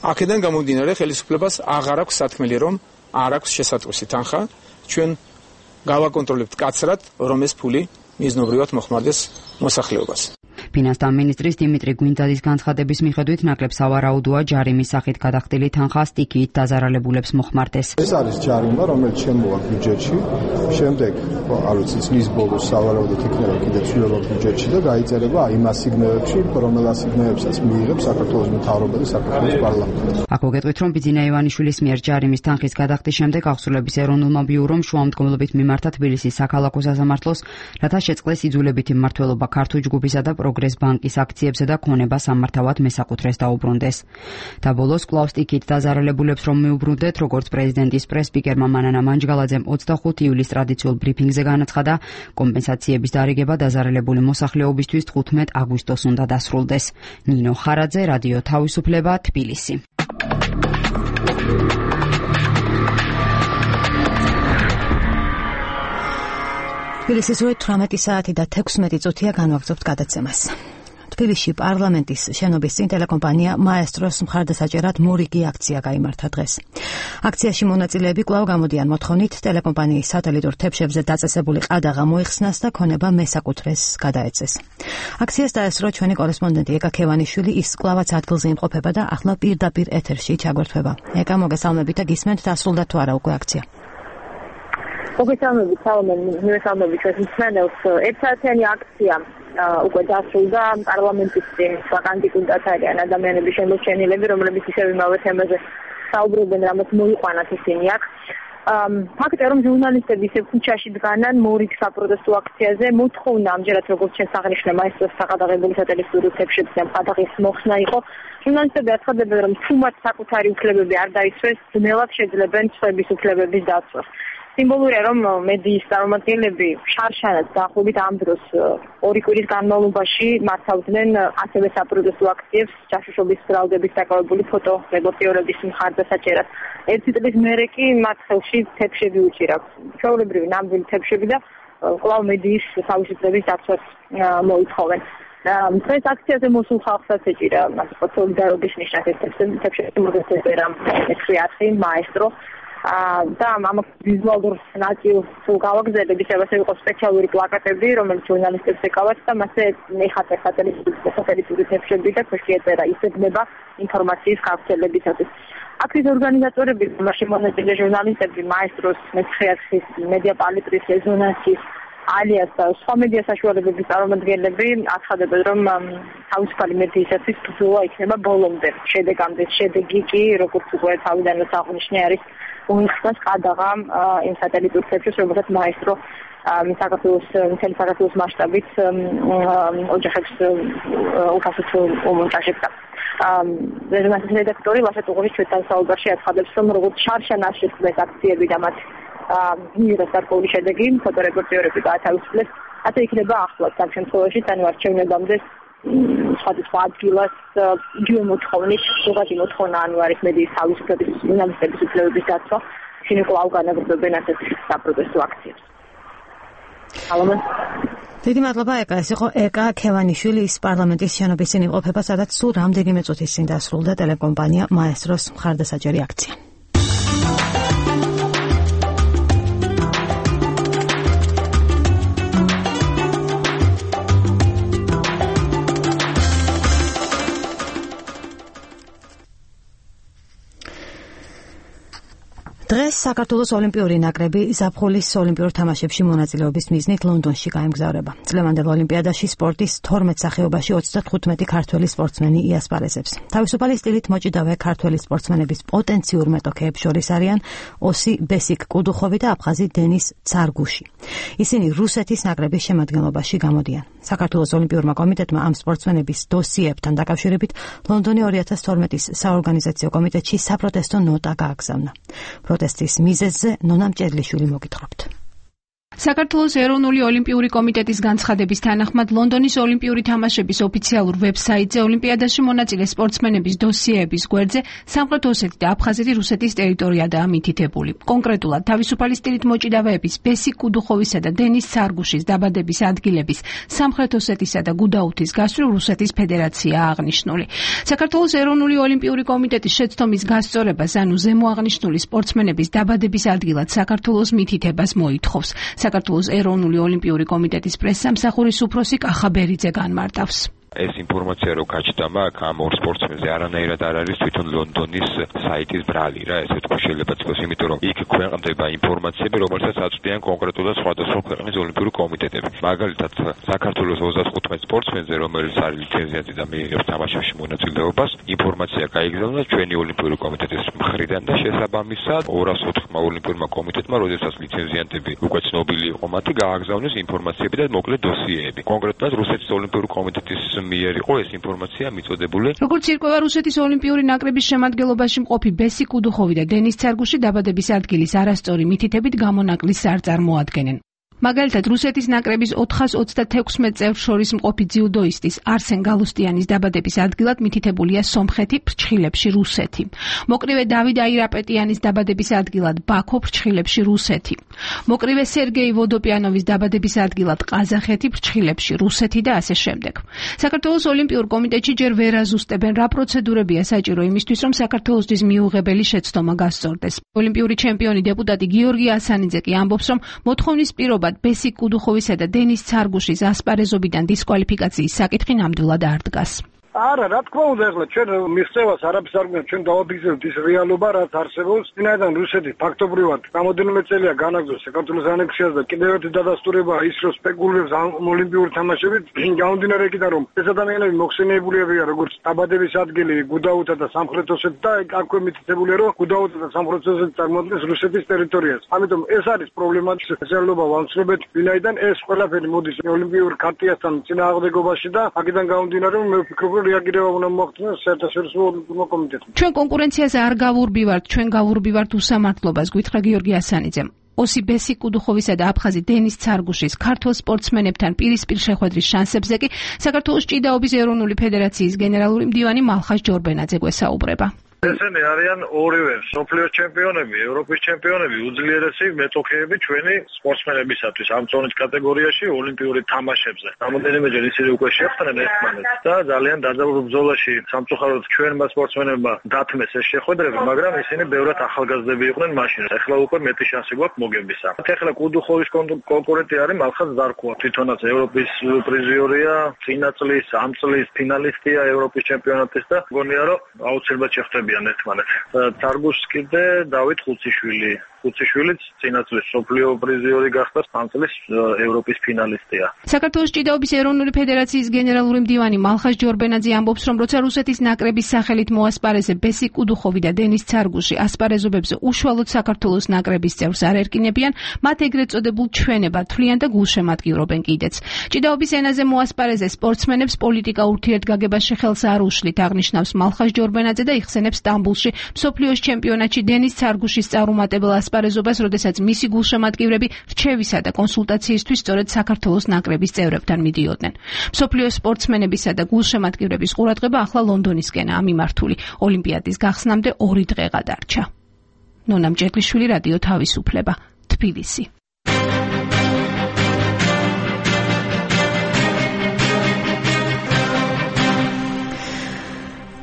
B: აქედან გამომდინარე, ხელისუფლებას აღარ აქვს სათქმელი, რომ არ აქვს შესატყვისი თანხა, ჩვენ გავაკონტროლებთ კაცრად, რომ ეს ფული მიზნობრივად მოხმარდეს მოსახლეობას.
K: ფინანსთა მინისტრის დიმიტრი გვინძაძის განცხადების მიხედვით ნაკლებ სავარაუდოა ჯარიმის სახით გადახდილი თანხა სტიქიით დაზარალებულებს მოხმარდეს.
F: ეს არის ჯარიმა, რომელიც შემოვა ბიუჯეტში, შემდეგ, არ ვიცი, წლის ბოლოს სავარაუდოდ იქნება კიდე ცვლილება ბიუჯეტში და გაიწერება იმ ასიგნებებში, რომელ ასიგნებებსაც მიიღებს საქართველოს მთავრობა და საქართველოს პარლამენტი.
K: აქ მოგეტყვით, რომ ბიძინა ივანიშვილის მიერ ჯარიმის თანხის გადახდის შემდეგ აღსრულების ეროვნულმა ბიურომ შუამდგომლობით მიმართა თბილისის საქალაქო სასამართლოს, რათა შეწყდეს იძულებითი მმართველობა ქართულ ჯგუფისა და პროგრეს ბანკის აქციებზე და ქონება სამართავად მესაკუთრეს დაუბრუნდეს. და ბოლოს კვლავ სტიქით დაზარალებულებს რომ მიუბრუნდეთ, როგორც პრეზიდენტის პრესსპიკერმა მანანა მანჯგალაძემ 25 ივლისს ტრადიციულ ბრიფინგზე განაცხადა, კომპენსაციების დარიგება დაზარალებული მოსახლეობისთვის 15 აგვისტოს უნდა დასრულდეს. ნინო ხარაძე, რადიო თავისუფლება, თბილისი.
E: თბილისის 18 საათი და 16 წუთია განვაგრძობთ გადაცემას. თბილისში პარლამენტის შენობის წინ ტელეკომპანია მაესტროს მხარდასაჭერად მორიგი აქცია გაიმართა დღეს. აქციაში მონაწილეები კვლავ გამოდიან მოთხოვნით ტელეკომპანიის სატელიტურ თებშებზე დაწესებული ყადაღა მოიხსნას და ქონება მესაკუთრეს გადაეცეს. აქციას დაესწრო ჩვენი კორესპონდენტი ეკა ქევანიშვილი, ის კვლავაც ადგილზე იმყოფება და ახლა პირდაპირ ეთერში ჩაგვერთვება. ეკა, მოგესალმებით და გისმენთ, დასრულდა თუ არა უკვე აქცია?
M: მოგესალმებით, მივესალმებით ჩვენს მსმენელს. ერთსაათიანი აქცია უკვე დასრულდა პარლამენტის წინ. საკანდიდატად არიან ადამიანების შემორჩენილები, რომლებიც ისევ იმავე თემაზე საუბრობენ, რამაც მოიყვანათ ისინი აქ. ფაქტია, რომ ჟურნალისტები ისევ ქუჩაში დგანან მორიგ საპროტესტო აქციაზე, მოთხოვნა ამჯერად როგორც ჩვენს აღნიშნე მაესტროს საყადაღებული სატელევიზიო თებშებზე ყადაღის მოხსნა იყო. ჟურნალისტები აცხადებენ, რომ თუ მათ საკუთარი უფლებები არ დაიცვეს, ძნელად შეძლებენ სხვების უფლებების დაცვას. სიმბოლურია, რომ მედიის წარმომადგენლები შარშანად დაახლოებით ამ დროს ორი კვირის განმავლობაში მართავდნენ ასევე საპროტესტო აქციებს ჯაშუშობის ბრალდების დაკავებული ფოტო რედაქტორების მხარდასაჭერად. ერთი წლის მერე კი მათ ხელში თებშები უჭირავს. ჩვეულებრივი ნამდვილი თებშები და კვლავ მედიის თავისუფლების დაცვას მოითხოვენ. დღეს აქციაზე მოსულ ხალხსაც ეჭირა სოლიდარობის ნიშნად თებშები მოგეცემა მეცხრე მაესტრო და ამ ვიზუალურ ნაწილს თუ გავაგზავნებ, ისე იყო სპეციალური პლაკატები, რომელიც ჟურნალისტებს ეკავათ და მასზე ნახატე სატელიტური თებშები და ქვეშ ეწერა იზრდება ინფორმაციის გავრცელებისათვის. აქციის ორგანიზატორები, მასში მონაწილე ჟურნალისტები, მაესტროს მეცხრეათის მედია პალიტრის რეზონანსის ალიას და სხვა მედია საშუალებების წარმომადგენლები აცხადებენ, რომ თავისუფალი მედიისათვის ბრძოლა იქნება ბოლომდე. შედეგი კი, როგორც უკვე თავიდანვე აღნიშნე, არის მოიხსნას ყადაღა იმ სატელიტურ თებშებს, რომელსაც მაესტრო მთელი საქართველოს მასშტაბით ოჯახებს უკასოდ უმონტაჟებდა. რეზონანსის რედაქტორი ლაშა ტუღურის ჩვენთან საუბარში აცხადებს, რომ როგორც შარშან არ შეწყდეს აქციები და მათ მიიღეს გარკვეული შედეგი, ფოტორეპორტიორები გაათავისუფლეს, ასე იქნება ახლაც ამ შემთხვევაში, ანუ არჩევნებამდე სხვადასხვა ადგილას იგივე მოთხოვნით, ზოგადი მოთხოვნა ანუ არის მედიის თავისუფლების, ჟურნალისტების უფლებების დაცვა, ისინი კვლავ განაგრძობენ ასეთ საპროტესტო აქციებს.
E: დიდი მადლობა, ეკა. ეს იყო ეკა ქევანიშვილი, ის პარლამენტის შენობის წინ იმყოფება, სადაც სულ რამდენიმე წუთის წინ დასრულდა ტელეკომპანია მაესტროს მხარდასაჭერი აქცია. დღეს საქართველოს ოლიმპიური ნაკრები ზაფხულის ოლიმპიურ თამაშებში მონაწილეობის მიზნით ლონდონში გაემგზავრება. წლევანდელ ოლიმპიადაში სპორტის 12 სახეობაში 35 ქართველი სპორტსმენი იასპარეზებს. თავისუფალი სტილით მოჭიდავე ქართველი სპორტსმენების პოტენციურ მეტოქეებს შორის არიან ოსი ბესიკ კუდუხოვი და აფხაზი დენის ცარგუში. ისინი რუსეთის ნაკრების შემადგენლობაში გამოდიან. საქართველოს ოლიმპიურმა კომიტეტმა ამ სპორტსმენების დოსიებთან დაკავშირებით ლონდონი 2012-ის საორგანიზაციო კომიტეტში საპროტესტო ნოტა გააგზავნა. პროტესტის მიზეზზე ნონა მჭედლიშვილი მოგითხრობთ.
N: საქართველოს ეროვნული ოლიმპიური კომიტეტის განცხადების თანახმად ლონდონის ოლიმპიური თამაშების ოფიციალურ ვებსაიტზე ოლიმპიადაში მონაწილე სპორტსმენების დოსიეების გვერდზე სამხრეთ ოსეთი და აფხაზეთი რუსეთის ტერიტორიადაა მითითებული. კონკრეტულად თავისუფალი სტილით მოჭიდავეების ბესიკ კუდუხოვისა და დენის ცარგუშის დაბადების ადგილების სამხრეთ ოსეთისა და გუდაუთის გასწვრივ რუსეთის ფედერაციაა აღნიშნული. საქართველოს ეროვნული ოლიმპიური კომიტეტის შეცდომის გასწორებას ანუ ზემო აღნიშნული სპორტსმენების დაბადების ადგილად საქართველოს მითითებას მოითხოვს. საქართველოს ეროვნული ოლიმპიური კომიტეტის პრესსამსახურის უფროსი კახა ბერიძე განმარტავს.
O: ეს ინფორმაცია რო გაჩნდა აქ ამ ორ სპორტსმენზე არანაირად არ არის თვითონ ლონდონის საიტის ბრალი რა, ესე თქვა შეიძლება თქოს, იმიტომ რომ იქ ქვეყნდება ინფორმაციები, რომელსაც აწვდიან კონკრეტულად სხვადასხვა ქვეყნის ოლიმპიური კომიტეტები. მაგალითად, საქართველოს 35 სპორტსმენზე, რომელიც არის ლიცენზიატი და მიიღებს თამაშებში მონაწილეობას, ინფორმაცია გაიგზავნა ჩვენი ოლიმპიური კომიტეტის მხრიდან და შესაბამისად 204 ოლიმპიურმა კომიტეტმა, როდესაც ლიცენზიანტები უკვე ცნობილი იყო მათი, გააგზავნეს ინფორმაციები და მოკლე დოსიეები. კონკრეტულად რუსეთის ოლიმპიური კომიტეტის მიერ იყო ეს ინფორმაცია მიწოდებული.
N: როგორც ირკვევა, რუსეთის ოლიმპიური ნაკრების შემადგენლობაში მყოფი ბესი კუდუხოვი და დენის ცარგუში დაბადების ადგილის არასწორი მითითებით გამონაკლისს არ წარმოადგენენ. მაგალითად, რუსეთის ნაკრების 426 წევრს შორის მყოფი ძიუდოისტის არსენ გალუსტიანის დაბადების ადგილად მითითებულია სომხეთი, ფრჩხილებში რუსეთი. მოკრივე დავიდ აირაპეტიანის დაბადების ადგილად ბაქო, ფრჩხილებში რუსეთი. მოკრივე სერგეი ვოდოპიანოვის დაბადების ადგილად ყაზახეთი, ფრჩხილებში რუსეთი და ასე შემდეგ. საქართველოს ოლიმპიურ კომიტეტში ჯერ ვერ აზუსტებენ, რა პროცედურებია საჭირო იმისთვის, რომ საქართველოსთვის მიუღებელი შეცდომა გასწორდეს. ოლიმპიური ჩემპიონი დეპუტატი გიორგი ასანიძე კი ამბობს, რომ მოთხოვნის პირობა ბესი კუდუხოვისა და დენის ცარგუშის ასპარეზობიდან დისკვალიფიკაციის საკითხი ნამდვილად არ დგას.
P: არა, რა თქმა უნდა, ახლა ჩვენ მიღწევას არაფერს არ გვინდა, ჩვენ დავაფიქსირებთ ის რეალობა, რაც არსებობს. წინაიდან რუსეთი ფაქტობრივად რამოდენიმე წელია განაგრძობს საქართველოს ანექსიას და კიდევ ერთი დადასტურება ის, რომ სპეკულირებს ოლიმპიური თამაშებით, გამომდინარე იქიდან, რომ ეს ადამიანები მოხსენიებულიებია როგორც დაბადების ადგილი გუდაუთა და სამხრეთ ოსეთი და აქვე მითითებულია, რომ გუდაუთა და სამხრეთ ოსეთი წარმოადგენს რუსეთის ტერიტორიას. ამიტომ ეს არის პრობლემა, შესაძლოა ვამსრობეთ, ვინაიდან ეს ყველაფერი მოდის ოლიმპიურ ქარტიასთან წინააღმდეგობაში და აქედან გამომდინარე, რომ მე ვფიქრობ, რეაგირება უნდა მოახდინოს საერთაშორისო ოლიმპიურმა კომიტეტმა.
N: ჩვენ კონკურენციაზე არ გავურბივართ, ჩვენ გავურბივართ უსამართლობას, გითხრა გიორგი ასანიძემ. ოსი ბესი კუდუხოვისა და აფხაზი დენის ცარგუშის ქართულ სპორტსმენებთან პირისპირ შეხვედრის შანსებზე კი საქართველოს ჭიდაობის ეროვნული ფედერაციის გენერალური მდივანი მალხაზ ჯორბენაძე გვესაუბრება.
P: ესენი არიან ორივე მსოფლიოს ჩემპიონები, ევროპის ჩემპიონები, უძლიერესი მეტოქეები ჩვენი სპორტსმენებისათვის ამ წონის კატეგორიაში ოლიმპიური თამაშებზე. რამოდენიმეჯერ ისინი უკვე შეხვდნენ ერთმანეთს და ძალიან დაძაბულ ბრძოლაში სამწუხაროდ ჩვენმა სპორტსმენებმა დათმეს ეს შეხვედრები, მაგრამ ისინი ბევრად ახალგაზრდები იყვნენ მაშინ. ეხლა უკვე მეტი შანსი გვაქვს მოგებისა. ეხლა კუდუხოვის კონკურენტი არის მალხაზ ზარქოვა, თვითონაც ევროპის პრიზიორია, წინა წლის, ამ წლის ფინალისტია ევროპის ჩემპიონატის და მგონია რომ აუცილებლად შეხვდება ერთმანეთს. თარგუშს კიდე დავით ხუციშვილიც წინა წლის სოფლიო პრიზიორი გახდა, ამ წლის ევროპის ფინალისტია.
N: საქართველოს ჭიდაობის ეროვნული ფედერაციის გენერალური მდივანი მალხაზ ჯორბენაძე ამბობს, რომ როცა რუსეთის ნაკრების სახელით მოასპარეზე ბესი კუდუხოვი და დენის ცარგუში ასპარეზობებზე უშუალოდ საქართველოს ნაკრების წევრს არ ერკინებიან, მათ ეგრეთ წოდებულ ჩვენებად თვლიან და გულშემატკივრობენ კიდეც. ჭიდაობის ენაზე მოასპარეზე სპორტსმენებს პოლიტიკა ურთიერთგაგებაში ხელს არ უშლით, აღნიშნავს მალხაზ ჯორბენაძე და იხსენებს სტამბულში მსოფლიოს ჩემპიონატში დენის ცარგუშის წარუმატებელ ასპარეზობას, როდესაც მისი გულშემატკივრები რჩევისა და კონსულტაციისთვის სწორედ საქართველოს ნაკრების წევრებთან მიდიოდნენ. მსოფლიოს სპორტსმენებისა და გულშემატკივრების ყურადღება ახლა ლონდონისკენაა მიმართული. ოლიმპიადის გახსნამდე 2 დღე გადარჩა. ნონა მჭედლიშვილი, რადიო თავისუფლება, თბილისი.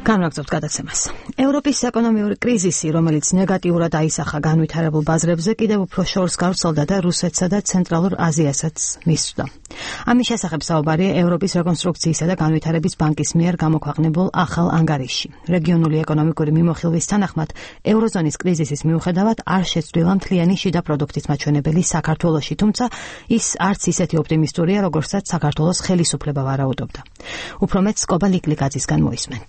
E: განვაგრძობთ გადაცემას. ევროპის ეკონომიური კრიზისი, რომელიც ნეგატიურად აისახა განვითარებულ ბაზრებზე, კიდევ უფრო შორს გავრცელდა და რუსეთსა და ცენტრალურ აზიასაც მისვდა. ამის შესახებ საუბარია ევროპის რეკონსტრუქციისა და განვითარების ბანკის მიერ გამოქვეყნებულ ახალ ანგარიშში. რეგიონული ეკონომიკური მიმოხილვის თანახმად, ევროზონის კრიზისის მიუხედავად არ შეცვლილა მთლიანი შიდა პროდუქტის მაჩვენებელი საქართველოში, თუმცა ის არც ისეთი ოპტიმისტურია, როგორცაც საქართველოს ხელისუფლება ვარაუდობდა. უფრო მეტ სკობა ლიკლიკაძისგან მოისმენთ.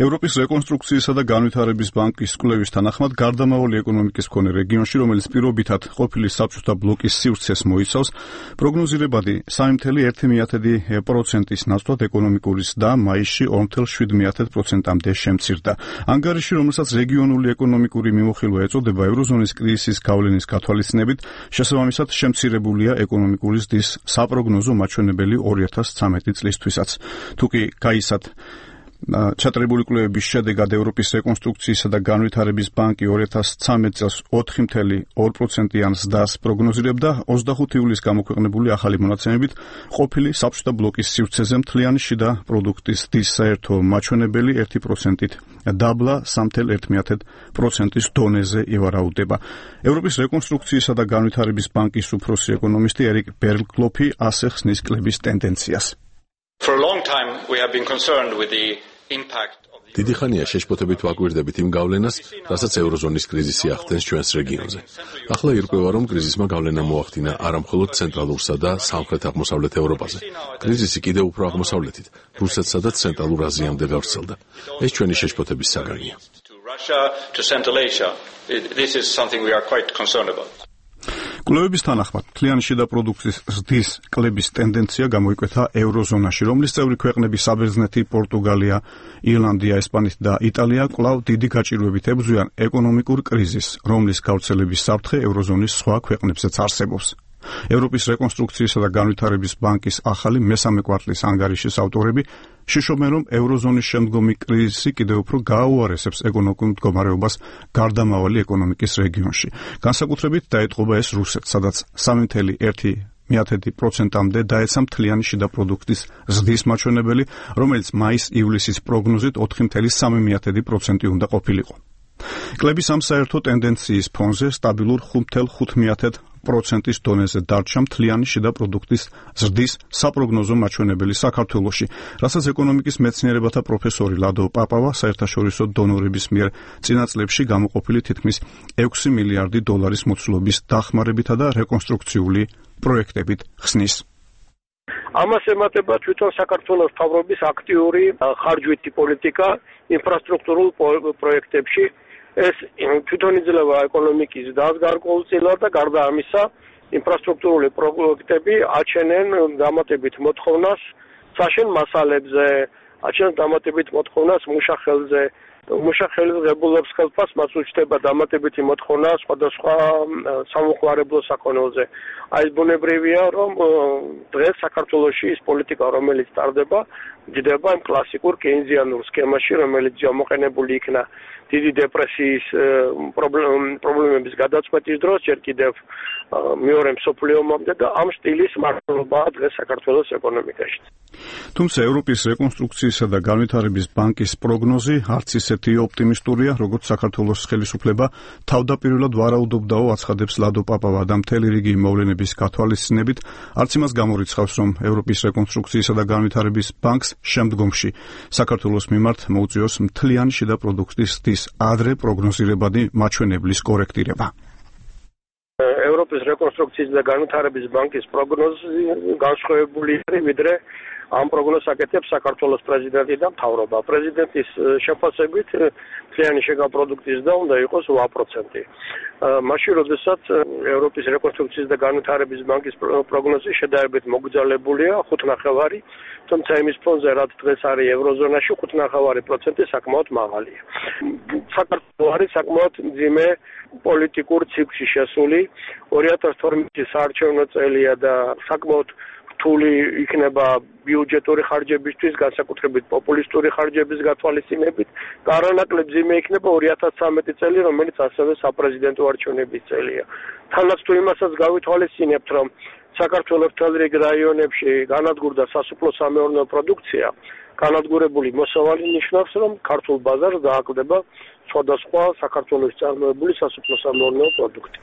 Q: ევროპის რეკონსტრუქციისა და განვითარების ბანკის კვლევის თანახმად, გარდამავალი ეკონომიკის მქონე რეგიონში, რომელიც პირობითად ყოფილი საბჭოთა ბლოკის სივრცეს მოიცავს, პროგნოზირებადი 3,1% ნაცვლად ეკონომიკური ზრდა მაისში 2,7%-მდე შემცირდა. ანგარიში, რომელსაც რეგიონული ეკონომიკური მიმოხილვა ეწოდება, ევროზონის კრიზისის გავლენის გათვალისწინებით, შესაბამისად შემცირებულია ეკონომიკური ზრდის საპროგნოზო მაჩვენებელი 2013 წლისთვისაც. თუკი გაისად ჩატარებული კვლევების შედეგად ევროპის რეკონსტრუქციისა და განვითარების ბანკი 2013 წელს 4,2%-იან ზრდას პროგნოზირებდა, 25 ივლისს გამოქვეყნებული ახალი მონაცემებით ყოფილი საბჭოთა ბლოკის სივრცეზე მთლიანი შიდა პროდუქტის ზრდის საერთო მაჩვენებელი 1%-ით დაბლა 3,1%-ის დონეზე ივარაუდება. ევროპის რეკონსტრუქციისა და განვითარების ბანკის უფროსი ეკონომისტი ერიკ ბერგლოფი ასე ხსნის კლების ტენდენციას.
R: For a long time we have been concerned with the impact
D: დიდი ხანია შეშფოთებით ვაკვირდებით იმ გავლენას, რასაც ევროზონის კრიზისი ახდენს ჩვენს რეგიონზე. ახლა ირკვევა, რომ კრიზისმა გავლენა მოახდინა არა მხოლოდ ცენტრალურსა და სამხრეთ-აღმოსავლეთ ევროპაზე. კრიზისი კიდევ უფრო აღმოსავლეთით, რუსეთსა და ცენტრალურ აზიამდე გავრცელდა. ეს ჩვენი შეშფოთების საგანია.
R: Russia to Central Asia. This is something we are quite concerned about.
Q: კვლევების თანახმად, მთლიანი შიდა პროდუქტის ზრდის კლების ტენდენცია გამოიკვეთა ევროზონაში, რომლის წევრი ქვეყნები საბერძნეთი, პორტუგალია, ირლანდია, ესპანეთი და იტალია კვლავ დიდი გაჭირვებით ებრძვიან ეკონომიკურ კრიზისს, რომლის გავრცელების საფრთხე ევროზონის სხვა ქვეყნებზეც არსებობს. ევროპის რეკონსტრუქციისა და განვითარების ბანკის ახალი მესამე კვარტლის ანგარიშის ავტორები შიშობენ, რომ ევროზონის შემდგომი კრიზისი კიდევ უფრო გააუარესებს ეკონომიკურ მდგომარეობას გარდამავალი ეკონომიკის რეგიონში. განსაკუთრებით დაეტყობა ეს რუსეთს, სადაც 3.1%-მდე დაეცა მთლიანი შიდა პროდუქტის ზრდის მაჩვენებელი, რომელიც მაის-ივლისის პროგნოზით 4.3% უნდა ყოფილიყო. კლების ამ საერთო ტენდენციის ფონზე სტაბილურ 5.5%-ის დონეზე დარჩა მთლიანი შიდა პროდუქტის ზრდის საპროგნოზო მაჩვენებელი საქართველოში, რასაც ეკონომიკის მეცნიერებათა პროფესორი ლადო პაპავა საერთაშორისო დონორების მიერ წინა წლებში გამოყოფილი თითქმის 6 მილიარდი დოლარის მოცულობის დახმარებითა და რეკონსტრუქციული პროექტებით ხსნის.
G: ამას ემატება თვითონ საქართველოს მთავრობის აქტიური ხარჯვითი პოლიტიკა ინფრასტრუქტურულ პროექტებში. ეს თვითონ იძლევა ეკონომიკის დას გარკვეულწილად და გარდა ამისა ინფრასტრუქტურული პროექტები აჩენენ დამატებით მოთხოვნას საშენ მასალებზე, აჩენენ დამატებით მოთხოვნას მუშახელზე. მუშახელის ღებულობს ხელფას მას უჩნდება დამატებითი მოთხოვნა სხვადასხვა სამოხმარებლო საქონელზე. აი ბუნებრივია, რომ დღეს საქართველოში ის პოლიტიკა, რომელიც ტარდება, ჯდება იმ კლასიკურ კეინზიანურ სქემაში, რომელიც გამოყენებული იქნა დიდი დეპრესიის პრობლემების გადაწყვეტის დროს, ჯერ კიდევ მეორე მსოფლიო ომამდე და ამ სტილის მართლობაა დღეს საქართველოს ეკონომიკაში.
Q: თუმცა ევროპის რეკონსტრუქციისა და განვითარების ბანკის პროგნოზი არც ისეთი ოპტიმისტურია, როგორც საქართველოს ხელისუფლება თავდაპირველად ვარაუდობდაო, აცხადებს ლადო პაპავა და მთელი რიგი მოვლენების გათვალისწინებით, არც იმას გამორიცხავს, რომ ევროპის რეკონსტრუქციისა და განვითარების ბანკს შემდგომში საქართველოს მიმართ მოუწიოს მთლიანი შიდა პროდუქტის ზრდის ადრე პროგნოზირებადი მაჩვენებლის კორექტირება.
G: ევროპის რეკონსტრუქციის და განვითარების ბანკის პროგნოზი განსხვავებული არის, ვიდრე ამ პროგნოზს აკეთებს საქართველოს პრეზიდენტი და მთავრობა. პრეზიდენტის შეფასებით მთლიანი შიგა პროდუქტის ზრდა უნდა იყოს 8%. მაშინ, როდესაც ევროპის რეკონსტრუქციის და განვითარების ბანკის პროგნოზი შედარებით მოგრძალებულია 5.5%, თუმცა იმის ფონზე, რაც დღეს არის ევროზონაში, 5.5% საკმაოდ მაღალია. საქართველო არის საკმაოდ მძიმე პოლიტიკურ ციკლში შესული. 2012 საარჩევნო წელია და საკმაოდ რთული იქნება ბიუჯეტური ხარჯებისთვის, განსაკუთრებით პოპულისტური ხარჯების გათვალისწინებით. არანაკლებ მძიმე იქნება 2013 წელი, რომელიც ასევე საპრეზიდენტო არჩევნების წელია. თანაც თუ იმასაც გავითვალისწინებთ, რომ საქართველოს მთელ რიგ რაიონებში განადგურდა სასოფლო-სამეურნეო პროდუქცია, განადგურებული მოსავალი ნიშნავს, რომ ქართულ ბაზარს დააკლდება სხვადასხვა საქართველოს წარმოებული სასოფლო-სამეურნეო პროდუქტი.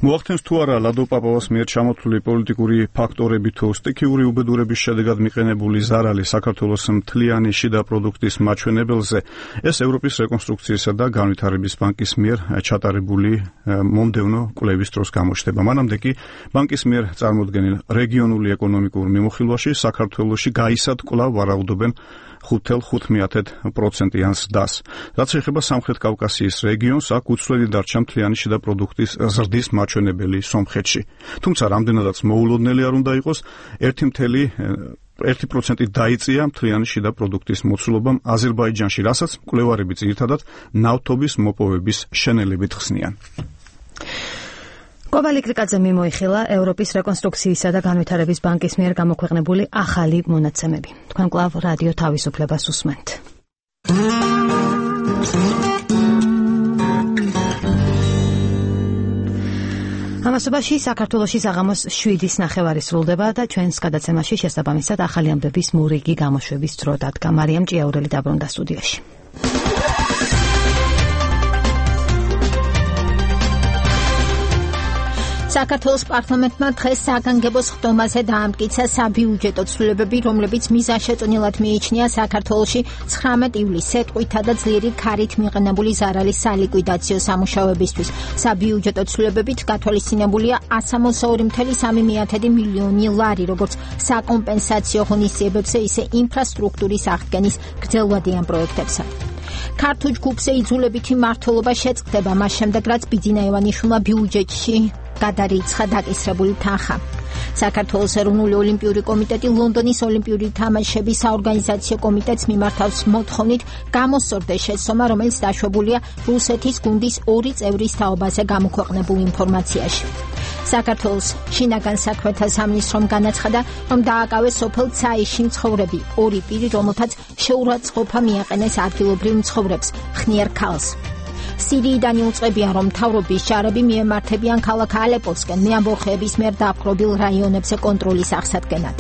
Q: მოახდენს თუ არა ლადო პაპავას მიერ ჩამოთვლილი პოლიტიკური ფაქტორები თუ სტიქიური უბედურების შედეგად მიყენებული ზარალი საქართველოს მთლიანი შიდა პროდუქტის მაჩვენებელზე, ეს ევროპის რეკონსტრუქციისა და განვითარების ბანკის მიერ ჩატარებული მომდევნო კვლევის დროს გამოჩნდება. მანამდე კი ბანკის მიერ წარმოდგენილ რეგიონული ეკონომიკურ მიმოხილვაში საქართველოში გაისად კვლავ ვარაუდობენ 5.5%-იან ზრდას. რაც შეეხება სამხრეთ კავკასიის რეგიონს, აქ უცვლელი დარჩა მთლიანი შიდა პროდუქტის ზრდის მაჩვენებელი სომხეთში. თუმცა რამდენადაც მოულოდნელი არ უნდა იყოს, 1% დაიწია მთლიანი შიდა პროდუქტის მოცულობამ აზერბაიჯანში, რასაც მკვლევარები ძირითადად ნავთობის მოპოვების შენელებით ხსნიან.
E: კობალი კრიკაძე მიმოიხილა ევროპის რეკონსტრუქციისა და განვითარების ბანკის მიერ გამოქვეყნებული ახალი მონაცემები. თქვენ კვლავ რადიო თავისუფლებას უსმენთ. ამასობაში საქართველოში საღამოს 7:09 სრულდება და ჩვენს გადაცემაში შესაბამისად ახალი ამბების მურიგი გამოშვების დრო დადგა. მარიამ ჭიაურელი დაბრუნდა სტუდიაში.
A: საქართველოს პარლამენტმა დღეს საგანგებო ხდომაზე დაამტკიცა საბიუჯეტო ცვლილებები, რომლებიც მიზანშეწონილად მიიჩნია საქართველოში 19 ივლისს სეტყვითა და ძლიერი ქარით მიღებული ზარალის სალიკვიდაციო სამუშაოებისთვის. საბიუჯეტო ცვლილებებით გათვალისწინებულია 162.3 მილიონი ლარი, როგორც საკომპენსაციო ღონისძიებებზე, ისე ინფრასტრუქტურის აღდგენის გრძელვადიან პროექტებზე. ქართულ ჯგუფზე იძულებითი მმართველობა შეწყდება მას შემდეგ, რაც ბიძინა ივანიშვილმა ბიუჯეტში გადარიცხა დაკისრებული თანხა. საქართველოს ეროვნული ოლიმპიური კომიტეტი ლონდონის ოლიმპიური თამაშების საორგანიზაციო კომიტეტს მიმართავს მოთხოვნით გამოსწორდეს შეცდომა, რომელიც დაშვებულია რუსეთის გუნდის 2 წევრის თაობაზე გამოქვეყნებულ ინფორმაციაში. საქართველოს შინაგან საქმეთა სამინისტრომ განაცხადა, რომ დააკავეს სოფელ ცაიში მცხოვრები 2 პირი, რომელთაც შეურაცხყოფა მიაყენეს ადგილობრივ მცხოვრებს, ხნიერ ქალს. სირიიდან იუწყებიან, რომ მთავრობის ჯარები მიემართებიან ქალაქ ალეპოსკენ მეამბოხეების მიერ დაპყრობილ რაიონებზე კონტროლის აღსადგენად.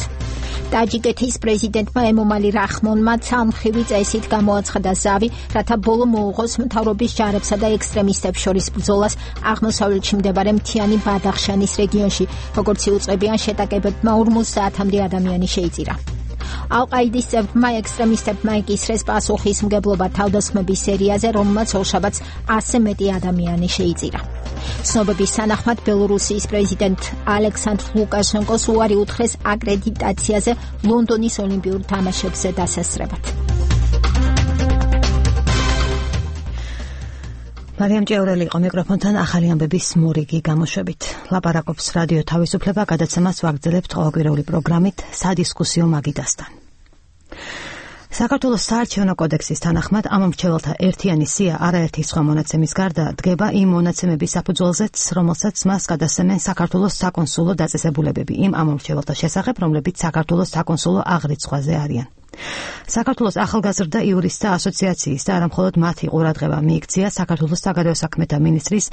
A: ტაჯიკეთის პრეზიდენტმა ემომალი რახმონმა ცალმხრივი წესით გამოაცხადა ზავი, რათა ბოლო მოუღოს მთავრობის ჯარებსა და ექსტრემისტებს შორის ბრძოლას აღმოსავლეთში მდებარე მთიანი ბადახშანის რეგიონში, როგორც იუწყებიან შეტაკებებმა 50-მდე ადამიანი შეიწირა. ალ-ყაიდის წევრმა ექსტრემისტებმა ეკისრეს პასუხისმგებლობა თავდასხმების სერიაზე, რომელმაც ორშაბათს 100 მეტი ადამიანი შეიწირა. ცნობების თანახმად ბელორუსიის პრეზიდენტ ალექსანდრ ლუკაშენკოს უარი უთხრეს აკრედიტაციაზე ლონდონის ოლიმპიურ თამაშებზე დასასწრებად.
E: მარიამ ჭეურელი იყო მიკროფონთან ახალი ამბების მორიგი გამოშვებით. ლაპარაკობს რადიო თავისუფლება, გადაცემას ვაგრძელებთ ყოველკვირეული პროგრამით სადისკუსიო მაგიდასთან. საქართველოს საარჩევნო კოდექსის თანახმად ამ მრჩეველთა ერთიანი სია არაერთი სხვა მონაცემის გარდა დგება იმ მონაცემების საფუძველზეც, რომელსაც მას გადასცემენ საქართველოს საკონსულო დაწესებულებები იმ ამ მრჩეველთა შესახებ, რომლებიც საქართველოს საკონსულო აღრიცხვაზე არიან. საქართველოს ახალგაზრდა იურისტთა ასოციაციის და არამხოლოდ მათი ყურადღება მიიქცია საქართველოს საგარეო საქმეთა მინისტრის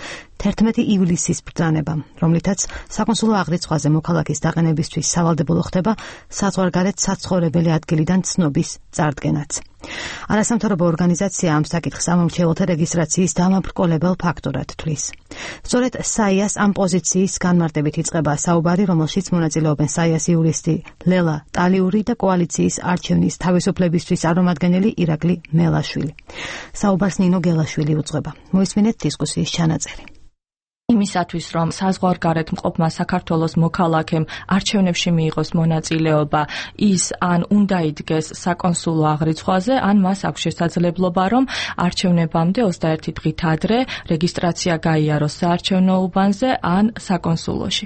E: 11 ივლისის ბრძანებამ, რომლითაც საკონსულო აღრიცხვაზე მოქალაქის დაყენებისთვის სავალდებულო ხდება საზღვარგარეთ საცხოვრებელი ადგილიდან ცნობის წარდგენაც. არასამთავრობო ორგანიზაცია ამ საკითხს ამ მრჩეველთა რეგისტრაციის დამაბრკოლებელ ფაქტორად თვლის. სწორედ საიას ამ პოზიციის განმარტებით იწყება საუბარი, რომელშიც მონაწილეობენ საიას იურისტი ლელა ტალიური და კოალიციის არჩევნის თავისუფლებისთვის წარმომადგენელი ირაკლი მელაშვილი. საუბარს ნინო გელაშვილი უძღვება. მოისმინეთ დისკუსიის ჩანაწერი.
S: იმისათვის, რომ საზღვარგარეთ მყოფმა საქართველოს მოქალაქემ არჩევნებში მიიღოს მონაწილეობა, ის ან უნდა იდგეს საკონსულო აღრიცხვაზე, ან მას აქვს შესაძლებლობა, რომ არჩევნებამდე 21 დღით ადრე რეგისტრაცია გაიაროს საარჩევნო უბანზე ან საკონსულოში.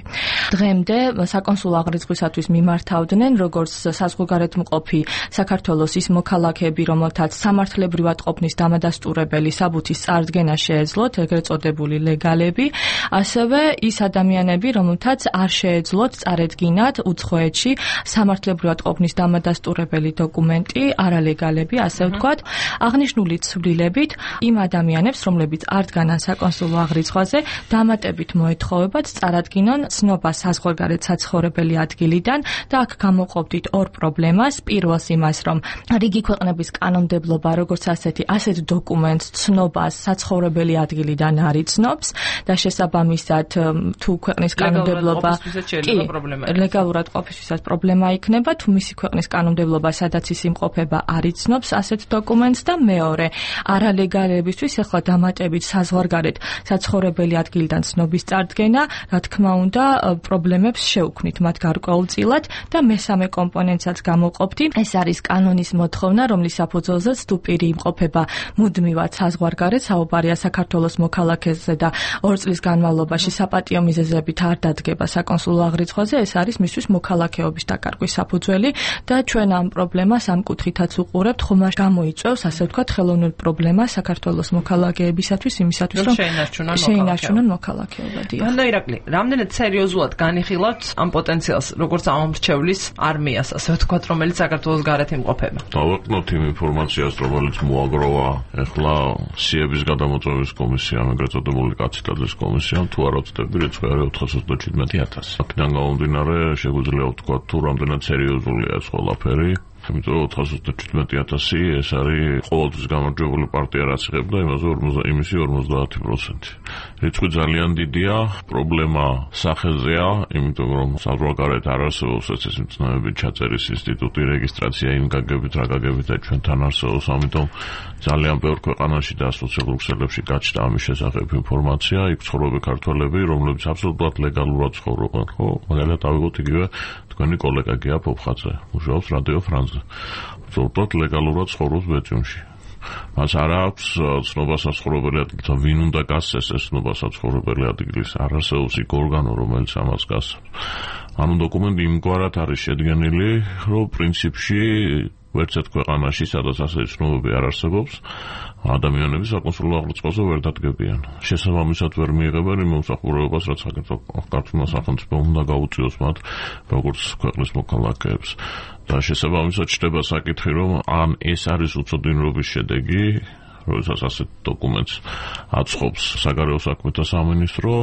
S: დღემდე საკონსულო აღრიცხვისათვის მიმართავდნენ როგორც საზღვარგარეთ მყოფი საქართველოს ის მოქალაქეები, რომელთაც სამართლებრივად ყოფნის დამადასტურებელი საბუთის წარდგენა შეეძლოთ, ეგრეთ წოდებული ლეგალები, ასევე ის ადამიანები, რომელთაც არ შეეძლოთ წარედგინათ უცხოეთში სამართლებრივად ყოფნის დამადასტურებელი დოკუმენტი, არალეგალები, ასე ვთქვათ, აღნიშნული ცვლილებით იმ ადამიანებს, რომლებიც არ დგანან საკონსულო აღრიცხვაზე, დამატებით მოეთხოვებათ წარადგინონ ცნობა საზღვარგარეთ საცხოვრებელი ადგილიდან და აქ გამოყოფდით ორ პრობლემას. პირველს იმას, რომ რიგი ქვეყნების კანონმდებლობა როგორც ასეთი, ასეთ დოკუმენტს ცნობას საცხოვრებელი ადგილიდან არ იცნობს და შესაბამისად თუ ქვეყნის კანონმდებლობა ლეგალურად ყოფისთვისაც პრობლემა იქნება, თუ მისი ქვეყნის კანონმდებლობა სადაც ის იმყოფება არ იცნობს ასეთ დოკუმენტს და მეორე არალეგალებისთვის ახლა დამატებით საზღვარგარეთ საცხოვრებელი ადგილიდან ცნობის წარდგენა, რა თქმა უნდა, პრობლემებს შეუქმნით მათ გარკვეულწილად და მესამე კომპონენტსაც გამოყოფდი. ეს არის კანონის მოთხოვნა, რომლის საფუძველზეც თუ პირი იმყოფება მუდმივად საზღვარგარეთ, საუბარია საქართველოს მოქალაქეზე და 2 წლის განმავლობაში საპატიო მიზეზებით არ დადგება საკონსულო აღრიცხვაზე, ეს არის მისთვის მოქალაქეობის დაკარგვის საფუძველი და ჩვენ ამ პრობლემას ამ კუთხითაც უყურებთ, ხომ გამოიწვევს, ასე ვთქვათ, ხელოვნურ პრობლემას საქართველოს მოქალაქეებისათვის, იმისათვის, რომ შეინარჩუნონ მოქალაქეობა.
T: და ირაკლი, რამდენად სერიოზულად განიხილავთ ამ პოტენციალს, როგორც ამ მრჩევლის არმიას, ასე ვთქვათ, რომელიც საქართველოს გარეთ იმყოფება?
D: დავაყნოთ იმ ინფორმაციას, რომელიც მოაგროვა ახლა სიების გადამოწმების კომისიამ, ეგრეთ წოდებული კაციტაძის კომისიამ, თუ არ ვწდები, რიცხვი არის 417.000. აქედან გამომდინარე, შეგვიძლია ვთქვათ, თუ რამდენად სერიოზულია ეს ყველაფერი.
U: იმიტომ რომ 417,000 ეს არის ყოველთვის გამარჯვებული პარტია რაც იღებდა იმისი 50%. რიცხვი ძალიან დიდია, პრობლემა სახეზეა, იმიტომ რომ საზღვარგარეთ არ არსებობს ეს მცნებები ჩაწერის ინსტიტუტი, რეგისტრაცია იმ გაგებით რა გაგებით და ჩვენთან არსებობს, ამიტომ ძალიან ბევრ ქვეყანაში და სოციალურ ქსელებში გაჩნდა ამის შესახებ ინფორმაცია, იქ ცხოვრობენ ქართველები, რომლებიც აბსოლუტურად ლეგალურად ცხოვრობენ, ხო? მაგალითად ავიღოთ იგივე თქვენი კოლეგა გია ფოფხაძე, მუშაობს რადიო ფრანსზე. აბსოლუტურად ლეგალურად ცხოვრობს ბეჭდში. მას არ აქვს ცნობა საცხოვრებელი ადგილთან, ვინ უნდა გასცეს ეს ცნობა საცხოვრებელი ადგილის, არ არსებობს იქ ორგანო, რომელიც ამას გასცემს. ანუ დოკუმენტი იმგვარად არის შედგენილი, რომ პრინციპში ვერც ერთ ქვეყანაში, სადაც ასეთი ცნობები არ არსებობს, ადამიანები საკონსულო აღრიცხვაზე ვერ დადგებიან. შესაბამისად ვერ მიიღებენ იმ მომსახურებას, რაც საქართველოს სახელმწიფო უნდა გაუწიოს მათ, როგორც ქვეყნის მოქალაქეებს. და შესაბამისად ჩნდება საკითხი, რომ ან ეს არის უცოდინრობის შედეგი, როდესაც ასეთ დოკუმენტს აწყობს საგარეო საქმეთა სამინისტრო,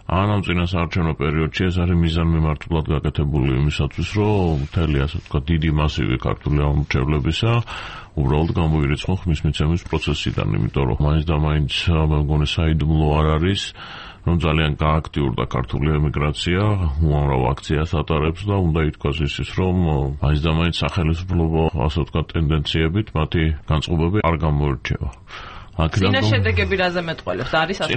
U: ან ამ წინასაარჩევნო პერიოდში ეს არის მიზანმიმართულად გაკეთებული იმისათვის, რომ მთელი ასე ვთქვათ დიდი მასივი ქართული ამორჩევლებისა უბრალოდ გამოირიცხონ ხმის მიცემის პროცესიდან, იმიტომ რომ მაინც და მაინც მე მგონი საიდუმლო არ არის, რომ ძალიან გააქტიურდა ქართული ემიგრაცია, უამრავ აქციას ატარებს და უნდა ითქვას ისიც, რომ მაინც და მაინც სახელმწიფო ასე ვთქვათ ტენდენციებით მათი განწყობები არ გამოირჩევა.
T: წინა შედეგები რაზე მეტყველებს? არის ასე?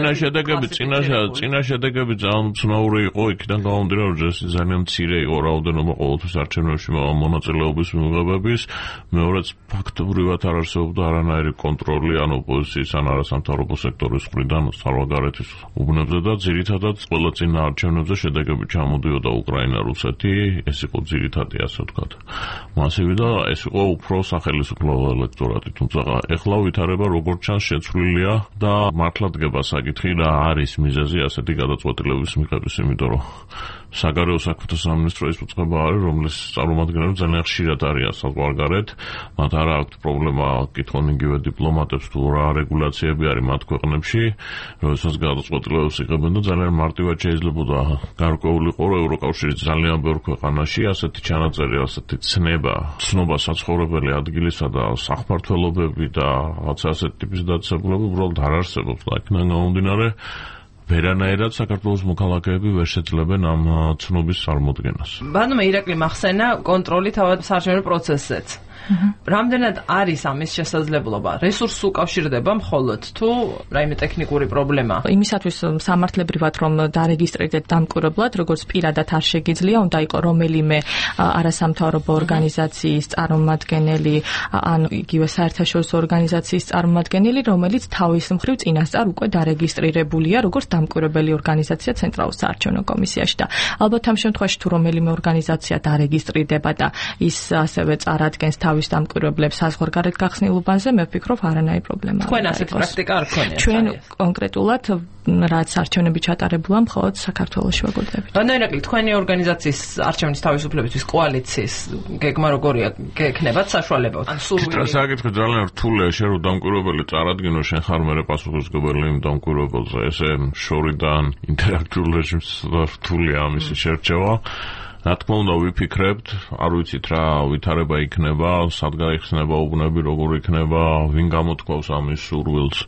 U: წინა შედეგები ძალიან უცნაური იყო, იქიდან გამომდინარე, რომ ეს ძალიან მცირე იყო რაოდენობა ყოველთვის არჩევნებში მონაწილეობის მიღებების, მეორეც ფაქტობრივად არ არსებობდა არანაირი კონტროლი ან ოპოზიციის ან არასამთავრობო სექტორის მხრიდან საზღვარგარეთის უბნებზე და ძირითადად ყველა წინა არჩევნებზე შედეგები ჩამოდიოდა უკრაინა, რუსეთი, ეს იყო ძირითადი ასე ვთქვათ მასივი და ეს იყო უფრო სახელმწიფო ელექტორატი, თუმცა ეხლა ვითარება როგორც ჩანს შეცვლილია და მართლა დგება საკითხი რა არის მიზეზი ასეთი გადაწყვეტილების მიღების, იმიტომ რომ საგარეო საქმეთა სამინისტრო ის უწყება არის, რომლის წარმომადგენლები ძალიან ხშირად არიან საზღვარგარეთ, მათ არ აქვთ პრობლემა კითხონ იგივე დიპლომატებს თუ რა რეგულაციები არის მათ ქვეყნებში, როდესაც გადაწყვეტილებებს იღებენ და ძალიან მარტივად რაღაცა გარკვეული ყო ევროკავშირის ძალიან ბევრ ქვეყანაში ასეთი ჩანაწერი, ასეთი ცნობა საცხოვრებელი ადგილისა და სახმართველობები და რაღაც ასეთი ტიპის დაწესებულება უბრალოდ არ არსებობს და იქიდან გამომდინარე ვერანაირად საქართველოს მოქალაქეები ვერ შეძლებენ ამ ცნობის წარმოდგენას.
T: ბანო ირაკლი მახსენა კონტროლი თავად საარჩევნო პროცესზეც. რამდენად არის ამის შესაძლებლობა? რესურსს უკავშირდება მხოლოდ თუ რაიმე ტექნიკური პრობლემა?
S: იმისათვის სამართლებრივად რომ დარეგისტრირდეთ დამკვირვებლად, როგორც პირადად არ შეგიძლია, უნდა იყოს რომელიმე არასამთავრობო ორგანიზაციის წარმომადგენელი ან იგივე საერთაშორისო ორგანიზაციის წარმომადგენელი, რომელიც თავის მხრივ წინასწარ უკვე დარეგისტრირებულია როგორც დამკვირვებელი ორგანიზაცია ცენტრალურ საარჩევნო კომისიაში და ალბათ ამ შემთხვევაში თუ რომელიმე ორგანიზაცია დარეგისტრირდება და ის ასევე წარადგენს თავის დამკვირვებლებს საზღვარგარეთ გახსნილ უბანზე, მე ვფიქრობ არანაირი პრობლემა.
T: თქვენ ასეთ პრაქტიკა არ გქონიათ?
S: ჩვენ კონკრეტულად რაც არჩევნები ჩატარებულა მხოლოდ საქართველოში ვაგრძელებით.
T: ბანო ირაკლი, თქვენი ორგანიზაციის არჩევნის თავისუფლებისთვის კოალიციის გეგმა როგორია? გექნებათ საშუალება? ან სურვილი?
U: საკითხი ძალიან რთულია, შენ რომ დამკვირვებელი წარადგინო, შენ ხარ მე პასუხისმგებელი იმ დამკვირვებელზე, ესე შორიდან ინტერაქტიულ რეჟიმს რთულია ამისი შერჩევა. რა თქმა უნდა ვიფიქრებთ, არ ვიცით რა ვითარება იქნება, სად გაიხსნება უბნები, როგორ იქნება, ვინ გამოთქვავს ამის სურვილს.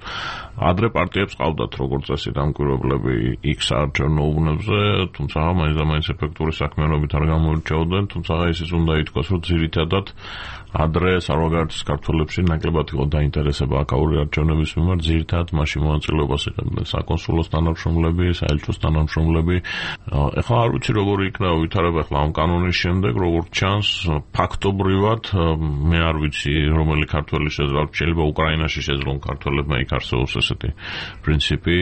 U: ადრე პარტიებს ყავდათ როგორც წესი დამკვირვებლები იქ საარჩევნო უბნებზე, თუმცა მაინც ეფექტური საქმიანობით არ გამოირჩეოდნენ, თუმცა ისიც უნდა ითქვას, რომ ძირითადად ადრე საზღვარგარეთის ქართველებში ნაკლებად იყო დაინტერესება აქაური არჩევნების მიმართ, ძირითადად მაშინ მონაწილეობას იღებდნენ საკონსულოს თანამშრომლები, საელჩოს თანამშრომლები. ეხლა არ ვიცი როგორი იქნება ვითარება ახლა ამ კანონის შემდეგ, როგორც ჩანს, ფაქტობრივად მე არ ვიცი რომელი ქართველი შეიძლება უკრაინაში შეძლონ ქართველებმა იქ არსებობს ესეთი პრინციპი,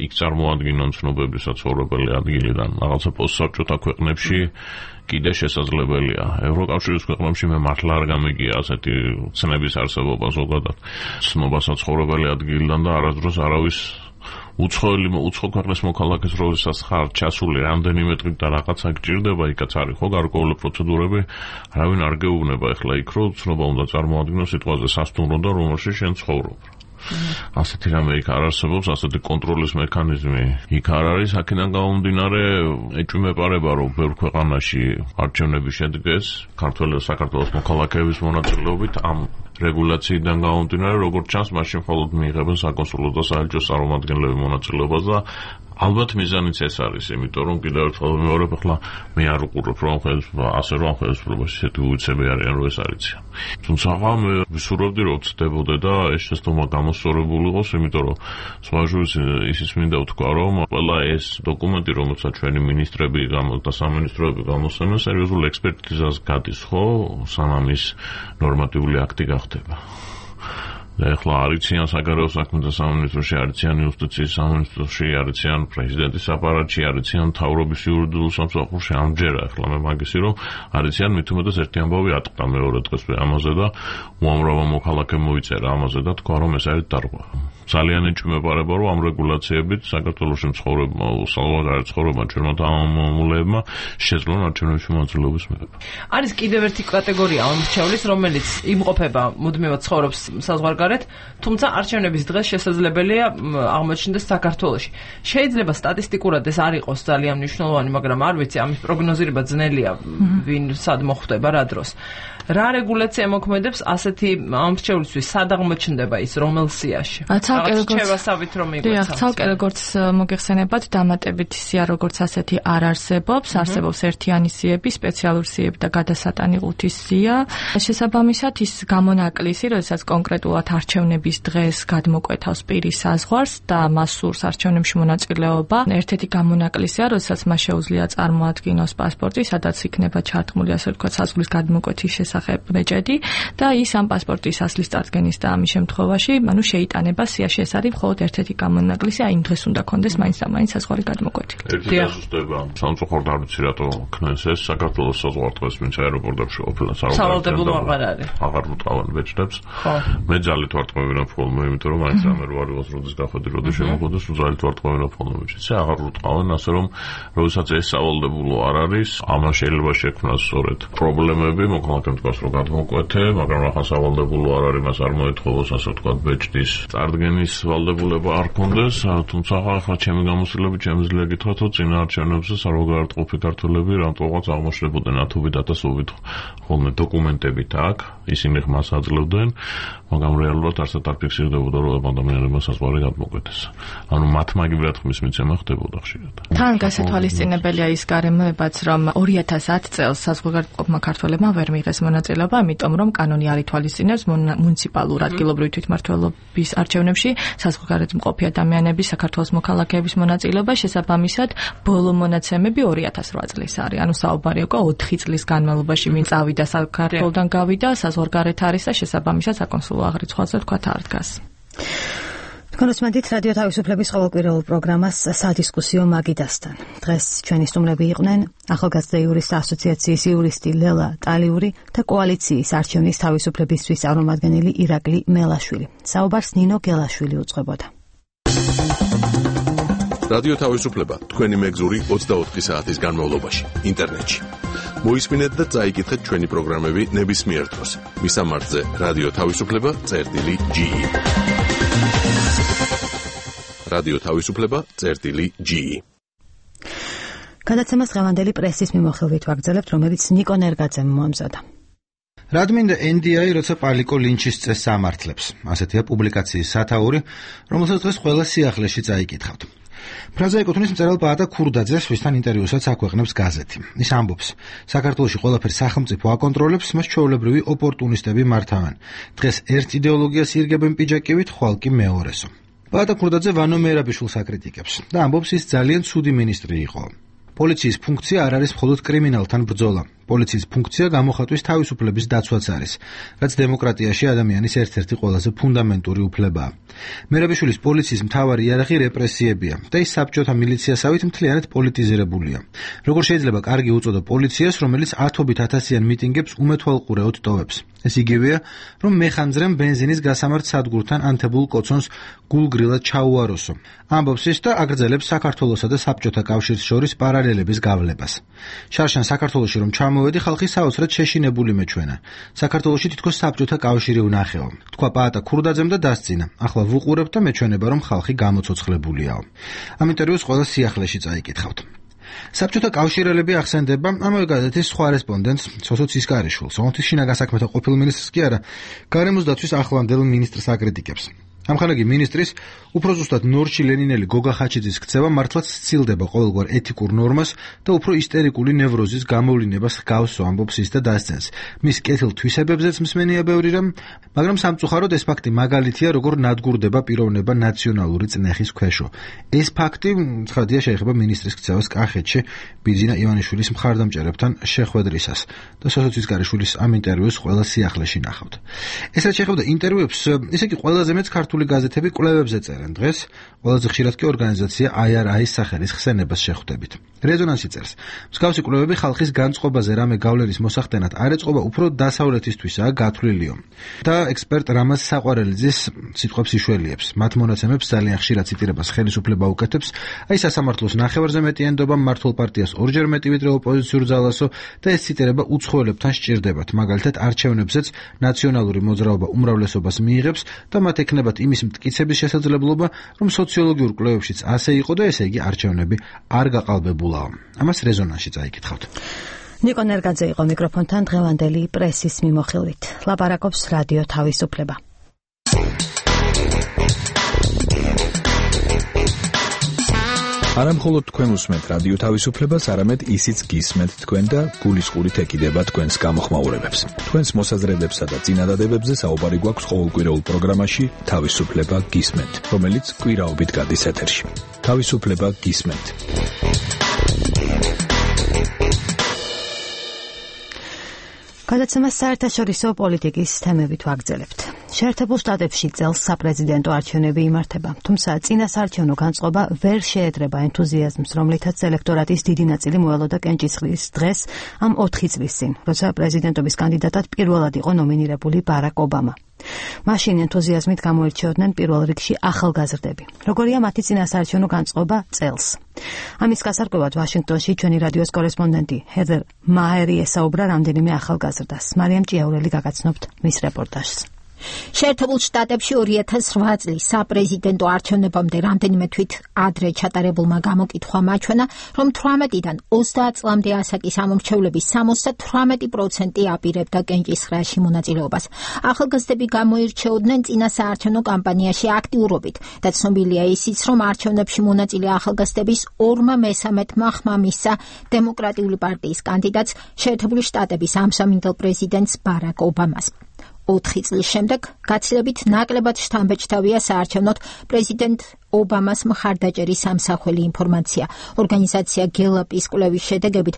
U: იქ წარმოადგენენ ცნობები საცხოვრებელი ადგილიდან, რაღაცა პოსტსაბჭოთა ქვეყნებში კიდე შესაძლებელია. ევროკავშირის ქვეყნებში მე მართლა არ გამიგია ასეთი ცნების არსებობა ზოგადად. ცნობა საცხოვრებელი ადგილიდან და არასდროს არავის უცხო ქვეყნის მოქალაქეს როდესაც ხარ ჩასული რამდენიმე დღით და რაღაცა გჭირდება, იქაც არის ხო გარკვეული პროცედურები, არავინ არ გეუბნება ეხლა იქ რომ ცნობა უნდა წარმოადგინოს სიტყვაზე სასტუმრო და რომელშიც შენ ცხოვრობ. ასეთი რამე იქ არ არსებობს, ასეთი კონტროლის მექანიზმი იქ არ არის, აქედან გამომდინარე ეჭვმეპარება, რომ ბევრ ქვეყანაში არჩევნები შედგეს საქართველოს მოქალაქეების მონაწილეობით ამ რეგულაციიდან გამომდინარე, როგორც ჩანს, მაშინ მხოლოდ მიიღებენ საკონსულო და საელჩო წარმომადგენლები მონაწილეობას და ალბათ მიზანიც ეს არის, იმიტომ რომ კიდევ ერთხელ მეორე ახლა მე არ უყურებ რომ ხელისუფლებაში ესეთი უცები არიან რომ ეს არიციან. თუმცა მე ვისურვებდი რომ ცდებოდა და ეს შეცდომა გამოსწორებულიყოს, იმიტომ რომ სხვაჟურის ისიც მინდა ვთქვა რომ ყველა ეს დოკუმენტი რომელსაც ჩვენი მინისტრები და სამინისტროები გამოსცემენ სერიოზულ ექსპერტიზას გადის ხო, სანამ ის ნორმატიული აქტი გახდება. და ეხლა არიციან საგარეო საქმეთა სამინისტროში, არიციან იუსტიციის სამინისტროში, არიციან პრეზიდენტის აპარატში, არიციან მთავრობის იურიდიულ სამსახურში ამჯერა. ეხლა მე მაგისი რომ არიციან მით უმეტეს ერთი ამბავი ატყდა მეორე დღეს ამაზე და უამრავმა მოქალაქემ მოიწერა ამაზე და თქვა რომ ეს არის დარღვა. ძალიან ეჭვმეპარება რომ ამ რეგულაციებით საქართველოში ცხოვრება ჩვენმა თანამომრავლეებმა შეძლონ არჩევნებში მონაწილეობის მიღება.
T: არის კიდევ ერთი კატეგორია ამრჩევლის, რომელიც იმყოფება მუდმივად ცხოვრობს საზღვარგარეთ, თუმცა არჩევნების დღეს შესაძლებელია აღმოჩნდეს საქართველოში. შეიძლება სტატისტიკურად ეს არ იყოს ძალიან მნიშვნელოვანი, მაგრამ არ ვიცი, ამის პროგნოზირება ძნელია, ვინ სად მოხვდება რა დროს. რა რეგულაცია მოქმედებს ასეთი ამრჩევლისთვის, სად აღმოჩნდება ის რომელ სიაში?
S: ცალკე როგორც მოგეხსენებათ, დამატებით სია როგორც ასეთი არ არსებობს, არსებობს ერთიანი სიები, სპეციალური სიები და გადასატანილუთის სია. შესაბამისად ის გამონაკლისი, როდესაც კონკრეტულად არჩევნების დღეს გადმოკვეთავს პირის საზღვარს და მას სურს არჩევნებში მონაწილეობა, ერთ-ერთი გამონაკლისია, როდესაც მას შეუძლია წარმოადგინოს პასპორტი, სადაც იქნება ჩართმული ასე ვთქვათ საზღვრის გადმოკვეთის შესახებ ბეჭედი და ის ამ პასპორტის ასლის წარდგენის და ამის შემთხვევაში, შეიტანება სიაში. ეს არის მხოლოდ ერთ-ერთი გამონაკლისი, აი იმ დღეს უნდა კონდეს მაინც და მაინც საზღვარი გადმოკვეთილი.
U: ერთი დასუსტება, სამწუხაროდ არ ვიცი რატო ქნეს ეს საქართველოს საზღვარგარეთ ვინც აეროპორტებში ყოფილა
T: სავალდებულო აღარ არის.
U: აღარ მოტყავენ ბეჭდებს. მე ძალით ვარტყმევინებ ხოლმე, იმიტომ რომ მაინც ამერ ვარ იყოს როდის გახვედი, როდის შემოხვედეს, ძალით ვარტყმევინებ ხოლმე ბეჭდებს. აღარ ვუტყავენ, ასე რომ როდესაც ეს სავალდებულო არ არის, ამან შეიძლება შექმნას სწორედ პრობლემები, მოქალაქემ თქვას რომ გადმოკვეთე, მაგრამ ახლა სავალდებულო არ არის, მას არ მოეთხოვოს ასე ვთქვათ ბეჭდის წარდგენის ვალდებულება არ კონდეს, თუმცა ახლა ჩემი გამოცდილებით შემიძლია გითხრათ, რომ წინა არჩევნებზე საზღვარგარეთყოფი ქართველები რამტოვღაც აღმოჩნდებოდნენ ათობით ათასობით ხოლმე დოკუმენტებით აქ, ისინი ხმას აძლევდნენ, მაგრამ რეალურად არცად არ ფიქსირდებოდა, რომ ადამიანებმა საზღვარი გადმოკვეთეს. ანუ მათ მაგივრად ხმის მიცემა ხდებოდა ხშირად.
S: თან გასათვალისწინებელია ის გარემოებაც, რომ 2010 წელს საზღვარგარეთყოფმა ქართველებმა ვერ მიიღეს მონაწილეობა, იმიტომ რომ კანონი არ ითვალისწინებს მუნიციპალურ ადგილობრივი თვითმმართველობის არჩევნებში საზღვარგარეთ მყოფი ადამიანების საქართველოს მოქალაქეების მონაწილეობა, შესაბამისად ბოლო მონაცემები 2008 წლის არის. ანუ საუბარი უკვე 4 წლის განმავლობაში ვინ წავიდა საქართველოდან გავიდა, საზღვარგარეთ არის და შესაბამისად საკონსულო აღრიცხვაზე თქვა არ დგას. კონსმენტით რადიო თავისუფლების ყოველკვირეულ პროგრამას სადისკუსიო მაგიდასთან. დღეს ჩვენი სტუმრები იყვნენ ახალგაზრდა იურისტთა ასოციაციის იურისტი ლელა ტალიური და კოალიციის არჩევნის თავისუფლებისთვის წარმომადგენელი ირაკლი მელაშვილი. საუბარს ნინო გელაშვილი უძღვებოდა.
D: რადიო თავისუფლება თქვენი მეგზური 24 საათის განმავლობაში ინტერნეტში. მოისმინეთ და წაიკითხეთ ჩვენი პროგრამები ნებისმიერ დროს. მისამართზე რადიო თავისუფლება.ge რადიო თავისუფლება.ge
A: გადაცემას დღევანდელი პრესის მიმოხილვით ვაგრძელებთ, რომელიც ნიკო ნერგაძემ მოამზადა.
C: რადგან NDI როცა პალიკო ლინჩის წესს ამართლებს, ასეთია პუბლიკაციის სათაური, რომელსაც დღეს ყველა სიახლეში წაიკითხავთ. ფრაზა ეკუთვნის მწერალ ბაატა ქურდაძეს, ვისთან ინტერვიუსაც აქვეყნებს გაზეთი. ის ამბობს, საქართველოში ყველაფერს სახელმწიფო აკონტროლებს, მას ჩვეულებრივი ოპორტუნისტები მართავენ. დღეს ერთ იდეოლოგიას ირგებენ პიჯაკივით, ხვალ კი მეორესო. ბაატა ქურდაძე ვანო მერაბიშვილს აკრიტიკებს და ამბობს, ის ძალიან ცუდი მინისტრი იყო. პოლიციის ფუნქცია არ არის მხოლოდ კრიმინალთან ბრძოლა. პოლიციის ფუნქცია გამოხატვის თავისუფლების დაცვაც არის, რაც დემოკრატიაში ადამიანის ერთ-ერთი ყველაზე ფუნდამენტური უფლებაა. მერაბიშვილის პოლიციის მთავარი იარაღი რეპრესიებია და ის საბჭოთა მილიციასავით მთლიანად პოლიტიზირებულია. როგორ შეიძლება კარგი უწოდო პოლიციას, რომელიც ათობით ათასიან მიტინგებს უმეთვალყურეოდ ტოვებს? ეს იგივეა, რომ მეხანძრემ ბენზინის გასამართ სადგურთან ანთებულ კოცონს გულგრილად ჩაუაროსო. ამბობს ის და აგრძელებს საქართველოსა და საბჭოთა კავშირს შორის პარალელების გავლებას. შარშან საქართველოში რომ გამოვედი ხალხი საოცრად შეშინებული მეჩვენა. საქართველოში თითქოს საბჭოთა კავშირი უნახეო. თქვა პაატა ქურდაძემ და დასძინა. ახლა ვუყურებ და მეჩვენება რომ ხალხი გამოცოცხლებულიაო. ამ ინტერვიუს ყველა სიახლეში წაიკითხავთ. საბჭოთა კავშირელები ახსენდება ამავე გაზეთის სხვა რესპონდენტს სოსო ცისკარიშვილს, რომელთის შინაგან საქმეთა ყოფილ მინისტრს კი არა, გარემოს დაცვის ახლანდელ მინისტრს აკრიტიკებს. ამხანაგი მინისტრის უფრო ზუსტად ნორჩი ლენინელი გოგა ხაჩიძის ქცევა მართლაც სცილდება ყოველგვარ ეთიკურ ნორმას და უფრო ისტერიკული ნევროზის გამოვლინებას ჰგავს, ამბობს ის და დასცენს. მის კეთილ თვისებებზეც მსმენია ბევრი რამ, მაგრამ სამწუხაროდ ეს ფაქტი მაგალითია, როგორ ნადგურდება პიროვნება ნაციონალური წნეხის ქვეშო. ეს ფაქტი ცხადია შეეხება მინისტრის ქცევას კახეთში ბიძინა ივანიშვილის მხარდამჭერებთან შეხვედრისას და სოსო ცისკარიშვილის ამ ინტერვიუს ყველა სიახლეში ნახავთ. ეს რაც შეეხება ინტერვიუებს, ისე კი ყველაზე მეც ქართული გაზეთები კვლევებზე წერენ დღეს, ყველაზე ხშირად კი ორგანიზაცია IRI-ის სახელის ხსენებას შეხვდებით. რეზონანსი წერს. მსგავსი კვლევები ხალხის განწყობაზე რამე გავლენის მოსახდენად არ ეწყობა უფრო დასავლეთისთვისაა გათვლილიო. და ექსპერტ რამაზ საყვარელიძის სიტყვებს იშველიებს. მათ მონაცემებს ძალიან ხშირად ციტირებას ხელისუფლება უკეთებს, აი სასამართლოს ნახევარზე მეტი ენდობა, მმართველ პარტიას ორჯერ მეტი ვიდრე ოპოზიციურ ძალასო და ეს ციტირება უცხოელებთან სჭირდებათ. მაგალითად არჩევნებზეც ნაციონალური მოძრაობა უმრავლესობას მიიღებს და მათ ექნებათ იმის მტკიცების შესაძლებლობა, რომ სოციოლოგიურ კვლევებშიც ასე იყო და ესე იგი არჩევნები არ გაყალბებულაა. ამას რეზონანსში წაიკითხავთ.
E: ნიკო ნერგაძე იყო მიკროფონთან დღევანდელი პრესის მიმოხილვით. ლაპარაკობს რადიო თავისუფლება.
H: არა მხოლოდ თქვენ უსმენთ რადიო თავისუფლებას, არამედ ისიც გისმენთ თქვენ და გულისყურით ეკიდება თქვენს გამოხმაურებებს. თქვენს მოსაზრებებსა და წინადადებებზე საუბარი გვაქვს ყოველკვირეულ პროგრამაში თავისუფლება გისმენთ, რომელიც კვირაობით გადის ეთერში. თავისუფლება გისმენთ.
E: გადაცემას საერთაშორისო პოლიტიკის თემებით ვაგრძელებთ. შეერთებულ შტატებში წელს საპრეზიდენტო არჩევნები იმართება, თუმცა წინასაარჩევნო განწყობა ვერ შეედრება ენთუზიაზმს, რომლითაც ელექტორატის დიდი ნაწილი მოელოდა კენჭისყრის დღეს ამ 4 წლის წინ, როცა პრეზიდენტობის კანდიდატად პირველად იყო ნომინირებული ბარაკ ობამა. მაშინ ენთუზიაზმით გამოირჩეოდნენ პირველ რიგში ახალგაზრდები. როგორია მათი წინასაარჩევნო განწყობა წელს? ამის გასარკვევად ვაშინგტონში ჩვენი რადიოს კორესპონდენტი ჰედერ მაერი ესაუბრა რამდენიმე ახალგაზრდას. მარიამ ჭიაურელი გაგაცნობთ მის რეპორტაჟს.
A: შეერთებულ შტატებში 2008 წლის საპრეზიდენტო არჩევნებამდე რამდენიმე თვით ადრე ჩატარებულმა გამოკითხვამ აჩვენა, რომ 18-დან 30 წლამდე ასაკის ამომრჩევლების 78% აპირებდა კენჭისყრაში მონაწილეობას. ახალგაზრდები გამოირჩეოდნენ წინასაარჩევნო კამპანიაში აქტიურობით და ცნობილია ისიც, რომ არჩევნებში მონაწილე ახალგაზრდების 2/3 ხმა მისცა დემოკრატიული პარტიის კანდიდატს, შეერთებული შტატების ამსამინდელ პრეზიდენტს ბარაკ ობამას. 4 წლის შემდეგ გაცილებით ნაკლებად შთამბეჭდავია საარჩევნოდ პრეზიდენტ ობამას მხარდაჭერის სამსახველი ინფორმაცია. ორგანიზაცია გელაპის კვლევის შედეგებით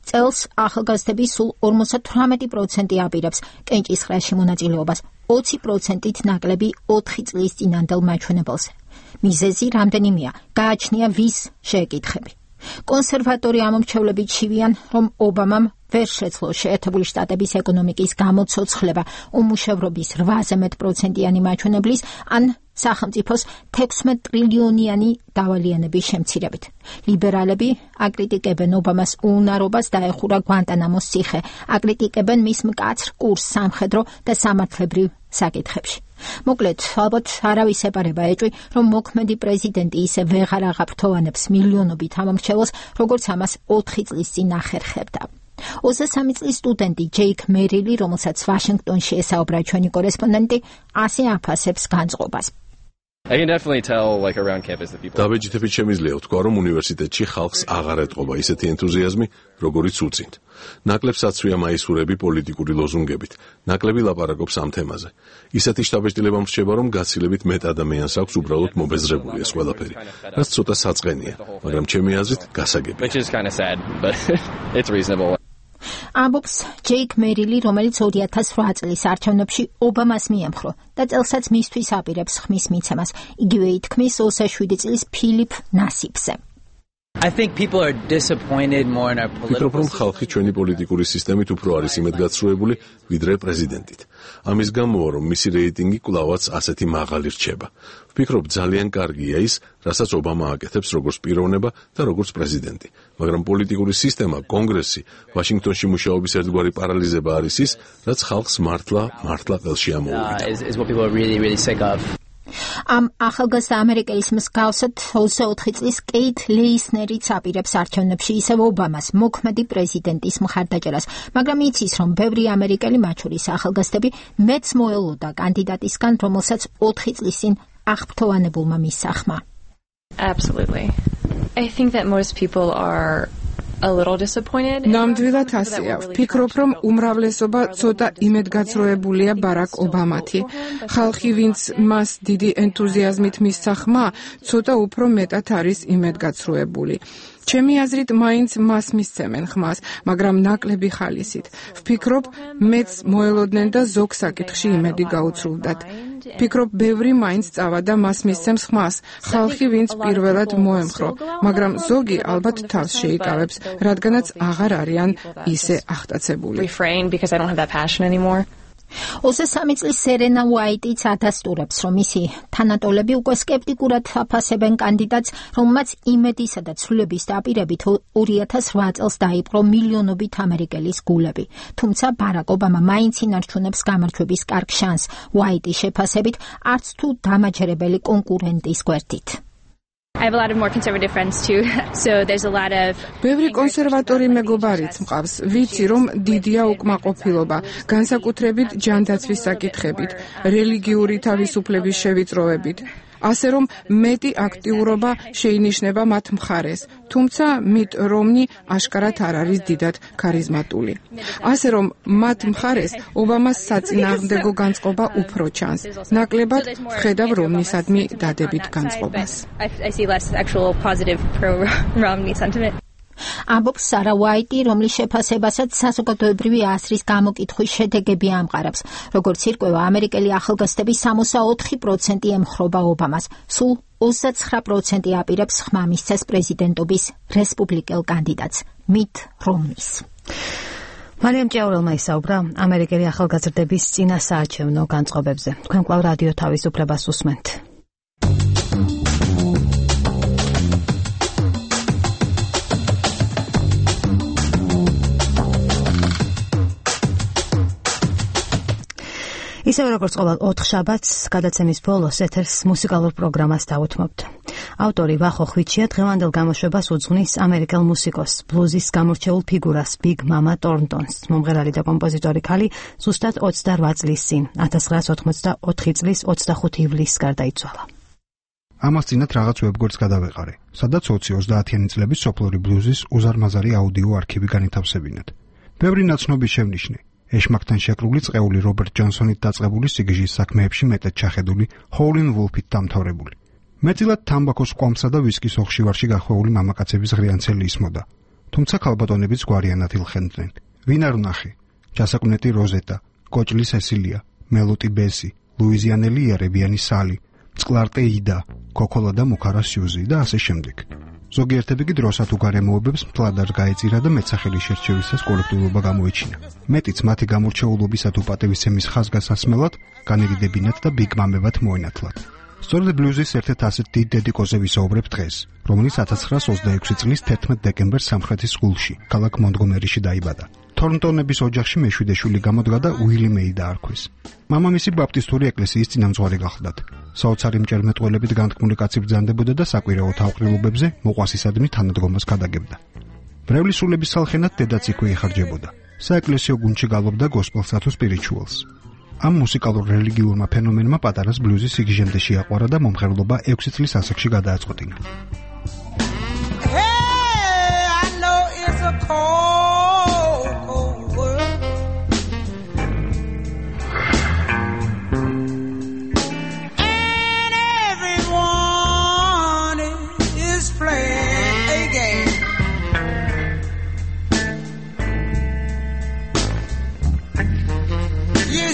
A: წელს ახალგაზრდები სულ 58% აპირებს კენჭისყრაში მონაწილეობას, 20%-ით ნაკლები 4 წლის წინანდელ მაჩვენებელზე. მიზეზი რამდენიმეა, გააჩნია ვის შეეკითხები. კონსერვატორი ამომრჩევლები ჩივიან, რომ ობამამ ვერ შეძლო შეერთებული შტატების ეკონომიკის გამოცოცხლება უმუშევრობის 8% მაჩვენებლის ან სახელმწიფოს 16 ტრილიონიანი დავალიანების შემცირებით. ლიბერალები აკრიტიკებენ ობამას უუნარობას დაეხურა გვანტანამოს ციხე, აკრიტიკებენ მის მკაცრ კურსს სამხედრო და სამართლებრივ საკითხებში. მოკლედ, ალბათ არავის ეპარება ეჭვი, რომ მოქმედი პრეზიდენტი ისე ვეღარ აღაფრთოვანებს მილიონობით ამომრჩეველს, როგორც ამას 4 წლის წინ ახერხებდა. 23 წლის სტუდენტი ჯეიკ მერილი, რომელსაც ვაშინგტონში ესაუბრა ჩვენი კორესპონდენტი, ასე აფასებს განწყობას.
D: დაბეჭდებით შემიძლია ვთქვა, რომ უნივერსიტეტში ხალხს აღარ ეტყობა ისეთი ენთუზიაზმი, როგორიც უწინთ. ნაკლებს აცვია მაისურები პოლიტიკური ლოზუნგებით, ნაკლები ლაპარაკობს ამ თემაზე. ისეთი შთაბეჭდილება მრჩება, რომ გაცილებით მეტ ადამიანს აქვს უბრალოდ მობეზრებული ეს ყველაფერი, რაც ცოტა საწყენია, მაგრამ ჩემი აზრით გასაგებია.
A: ამბობს ჯეიკ მერილი, რომელიც 2008 წლის არჩევნებში ობამას მიემხრო და წელსაც მისთვის აპირებს ხმის მიცემას. იგივე ითქმის 27 წლის ფილიპ ნასიბზე.
I: I think people are disappointed more in our political
D: system. ხალხი ჩვენი პოლიტიკური სისტემით უფრო არის იმედგაცრუებული ვიდრე პრეზიდენტით. ამის გამოა რომ მისი რეიტინგი კვლავაც ასეთი მაღალი რჩება. ვფიქრობ ძალიან კარგია ის, რასაც ობამა აკეთებს როგორც პიროვნება და როგორც პრეზიდენტი. მაგრამ პოლიტიკური სისტემა, კონგრესი, ვაშინგტონში მუშაობის ერთგვარი პარალიზება არის ის, რაც ხალხს მართლა ყელში ამოუვიდა.
A: ამ ახალგაზრდა ამერიკელის მსგავსად 24 წლის კეით ლეისნერიც აპირებს არჩევნებში ისევ ობამას მოქმედი პრეზიდენტის მხარდაჭერას, მაგრამ იცის, რომ ბევრი ამერიკელი, მათ შორის ახალგაზრდები, მეც მოელოდა კანდიდატისგან, რომელსაც 4 წლის წინ აღფრთოვანებულმა მისახმა.
V: Absolutely. I think that most people are a little disappointed.
W: ნამდვილად ასეა. ვფიქრობ, რომ უმრავლესობა ცოტა იმედგაცრუებულია ბარაკ ობამათი. ხალხი, ვინც მას დიდი ენთუზიაზმით მისცა ხმა, ცოტა უფრო მეტად არის იმედგაცრუებული. ჩემი აზრით, მაინც მას მისცემენ ხმას, მაგრამ ნაკლები ხალისით. ვფიქრობ, მეც მოელოდნენ და ზოგ საკითხში იმედი გაუცრუვდათ. ვფიქრობ, ბევრი მაინც წავადა მას მისცემს ხმას, ხალხი, ვინც პირველად მოემხრო, მაგრამ ზოგი ალბათ თავს შეიკავებს, რადგანაც აღარ არიან ისე აღტაცებული.
A: 23 წლის სერენა უაიტიც ადასტურებს, რომ მისი თანატოლები უკვე სკეპტიკურად აფასებენ კანდიდატს, რომელმაც იმედისა და ცვლილების დაპირებით 2008 წელს დაიპყრო მილიონობით ამერიკელის გულები. თუმცა ბარაკ ობამა მაინც ინარჩუნებს გამარჯვების კარგ შანსს, უაიტის შეფასებით, არც თუ დამაჯერებელი კონკურენტის გვერდით.
V: I have a lot of more conservative friends too, so there's a lot of
W: ბევრი კონსერვატორი მეგობარიც მყავს. ვიცი, რომ დიდია უკმაყოფილება, განსაკუთრებით ჯანდაცვის საკითხებით, რელიგიური თავისუფლების შევიწროებით. ასე რომ მეტი აქტიურობა შეინიშნება მათ მხარეს, თუმცა მით რომნი აშკარად არ არის დიდად ქარიზმატული. ასე რომ მათ მხარეს ობამას საწინააღმდეგო განწყობა უფრო ჩანს. ნაკლებად ვხედავ რომნისადმი დადებით განწყობას.
V: I see less actual positive pro-Romney sentiment.
A: ამბობს სარა უაიტი, რომლის შეფასებასაც საზოგადოებრივი აზრის გამოკითხვის შედეგები ამყარებს. როგორც ირკვევა, ამერიკელი ახალგაზრდები 64% ემხრობა ობამას, სულ 29% აპირებს ხმა მისცეს პრეზიდენტობის რესპუბლიკელ კანდიდატს, მით რომნის.
E: მარიამ ჭიაურელმა ისაუბრა ამერიკელი ახალგაზრდების წინასაარჩევნო განწყობებზე. თქვენ კვლავ რადიო თავისუფლებას უსმენთ. ისევ როგორც ყოველ 4 შაბათს გადაცემის ბოლოს ეთერს მუსიკალურ პროგრამას დავუთმობთ. ავტორი ვახო ხვიჩია დღევანდელ გამოშვებას უძღვნის ამერიკელ მუსიკოს, ბლუზის გამორჩეულ ფიგურას ბიგ მამა ტორნტონს. მომღერალი და კომპოზიტორი ქალი ზუსტად 28 წლის წინ 1984 წლის 25 ივლისს გარდაიცვალა.
C: ამას წინათ რაღაც ვებგვერდს გადავეყარე, სადაც 20-30-იანი წლების სოფლური ბლუზის უზარმაზარი აუდიო არქივი განითავსებინათ. ბევრი ნაცნობი შევნიშნე. ეშმაკთან შეკრული წეული რობერტ ჯონსონით დაწყებული სიგიჟის საქმეებში მეტად ჩახედული ჰოულინ ვულფით დამთავრებული. მეტილად თამბაქოს კვამსა და ვისკის ოხშივარში გახვეული მამაკაცების ღრიანცელი ისმოდა. თუმცა ქალბატონებიც გვარიანად ილხენდნენ. ვინ არ ვნახე? ჯასაკვნეტი როზეტა, კოჭლი სესილია, მელოტი ბესი, ლუიზიანელი იერებიანი სალი, წყლარტე იდა, კოკოლა და მუქარა სიუზი და ასე შემდეგ. ზოგიერთები კი დროსად უგარემოებებს მთლად არ გაეწირა და მეცახელი შერჩევისას კოლექტივობა გამოიჩინა. მეტიც მათი გამორჩეულობისა თუ პატივისცემის ხაზგასასმელად განერიდებინათ და ბიგმამებად მოენათლათ. სწორედ ბლუზის ერთ-ერთ ასეთ დიდ დედიკოზე ვისაუბრებ დღეს, რომელიც 1926 წლის 11 დეკემბერს სამხრეთის სკულში, ქალაქ მონტგომერიში დაიბადა. თორნტონების ოჯახში მეშვიდე შვილი გამოდგა და უილი მეი დაარქვეს. მამამისი ბაპტისტური ეკლესიის წინამძღვარი გახლდათ. საოცარი მჭერმეტყველებით განთქმული კაცი ბრძანდებოდა და საკვირაო თავყრილობებზე მოყვასისადმი თანადგომას გადაგებდა. მრევლის სულების სალხენად დედაც იქვე იხარჯებოდა. საეკლესიო გუნდში გალობდა გოსპელსა თუ სპირიჩუალს. ამ მუსიკალურ რელიგიურმა ფენომენმა პატარას ბლუზის სიგიჟემდე შეაყვარა და მომღერლობა 6 წლის ასაკში გადააწყვეტინა.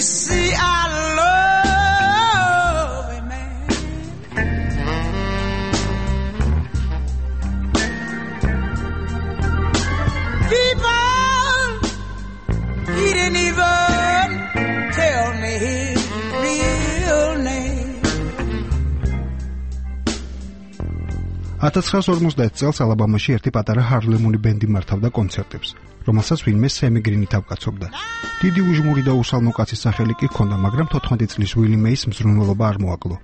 J: See, I love a man. people, he didn't even tell me his real name.
B: 1950 წელს ალაბამაში ერთი პატარა ჰარლემული ბენდი მართავდა კონცერტებს, რომელსაც ვინმე სემი გრინი თავკაცობდა. დიდი უჟმური და უსალმო კაცის სახელი კი ჰქონდა, მაგრამ 14 წლის ვილი მეის მზრუნველობა არ მოაკლო.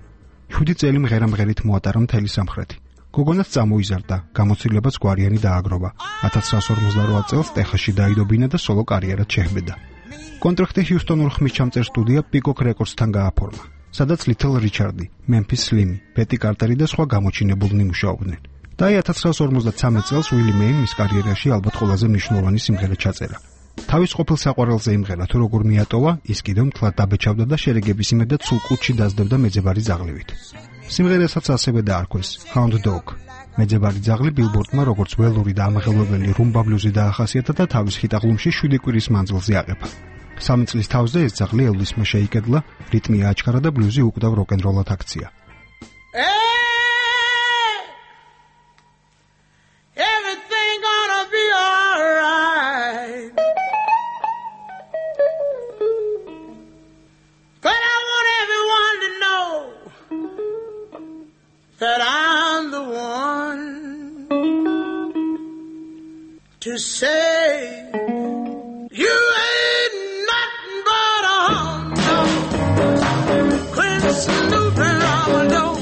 B: 7 წელი მღერა-მღერით მოატარა მთელი სამხრეთი. გოგონაც წამოიზარდა, გამოცდილებაც გვარიანი დააგროვა. 1958 წელს ტეხასში დაიდობინა და სოლო კარიერად შეჰბედა. კონტრაქტი ჰიუსტონურ ხმისჩამწერ სტუდია Peacock Records-თან გააფორმა, სადაც Little Richard, Memphis Slim, Betty Carter და სხვა გამოჩინებულნი მუშაობდნენ. და 1953 წელს ვილი მეიმ მის კარიერაში ალბათ ყველაზე მნიშვნელოვანი სიმღერა ჩაწერა. თავის ყოფილ საყვარელზე იმღერა, თუ როგორ მიატოვა, ის კიდევ მთლად დაბეჭავდა და შერეგების იმედად სულ კუჩში დაძდებდა მეძებარი ძაღლივით. სიმღერასაც ასევე დაარქვეს Hound Dog. მეძებარი ძაღლი ბილბორდმა როგორც ველური და ამაღელვებელი რუმბა ბლუზი დაახასიათა და თავის ჰიტ-ალბომში 7 კვირის მანძილზე აღება. 3 წლის თავზე ეს ძაღლი ელვისმა შეიკედლა, რიტმი აჩქარა და ბლუზი უკდავ როკ-ენ-როლად აქცია.
J: Everything gonna be alright. But I want everyone to know that I'm the one to say you ain't nothing but a hound dog. Quit snooping on my door.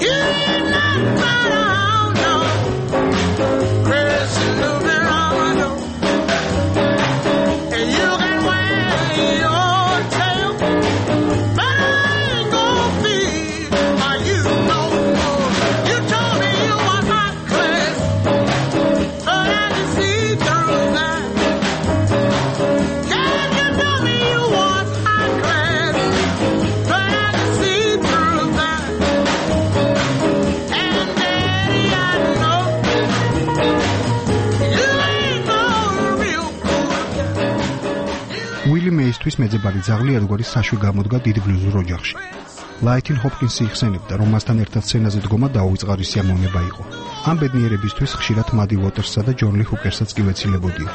J: You ain't nothing but a hound dog. Quit snooping on my door. And you can wag your tail, but I ain't gonna feed my you no more. You told me you want my class, but I can see through that. Yeah, you told me you want my class, but I can see through that. And Daddy, I know you ain't no real cool guy.
B: Willie Mays-თვის მეძებარი ძაღლი ერთგვარი საშვი გამოდგა დიდ ბლუზურ ოჯახში. ლაითინ ჰოპკინსი იხსენებდა, რომ მასთან ერთად სცენაზე დგომა დაუვიწყარი სიამოვნება იყო. ამ ბედნიერებისთვის ხშირად მადი უოტერსსა და ჯონ ლი ჰუკერსსაც კი ვეცილებოდია.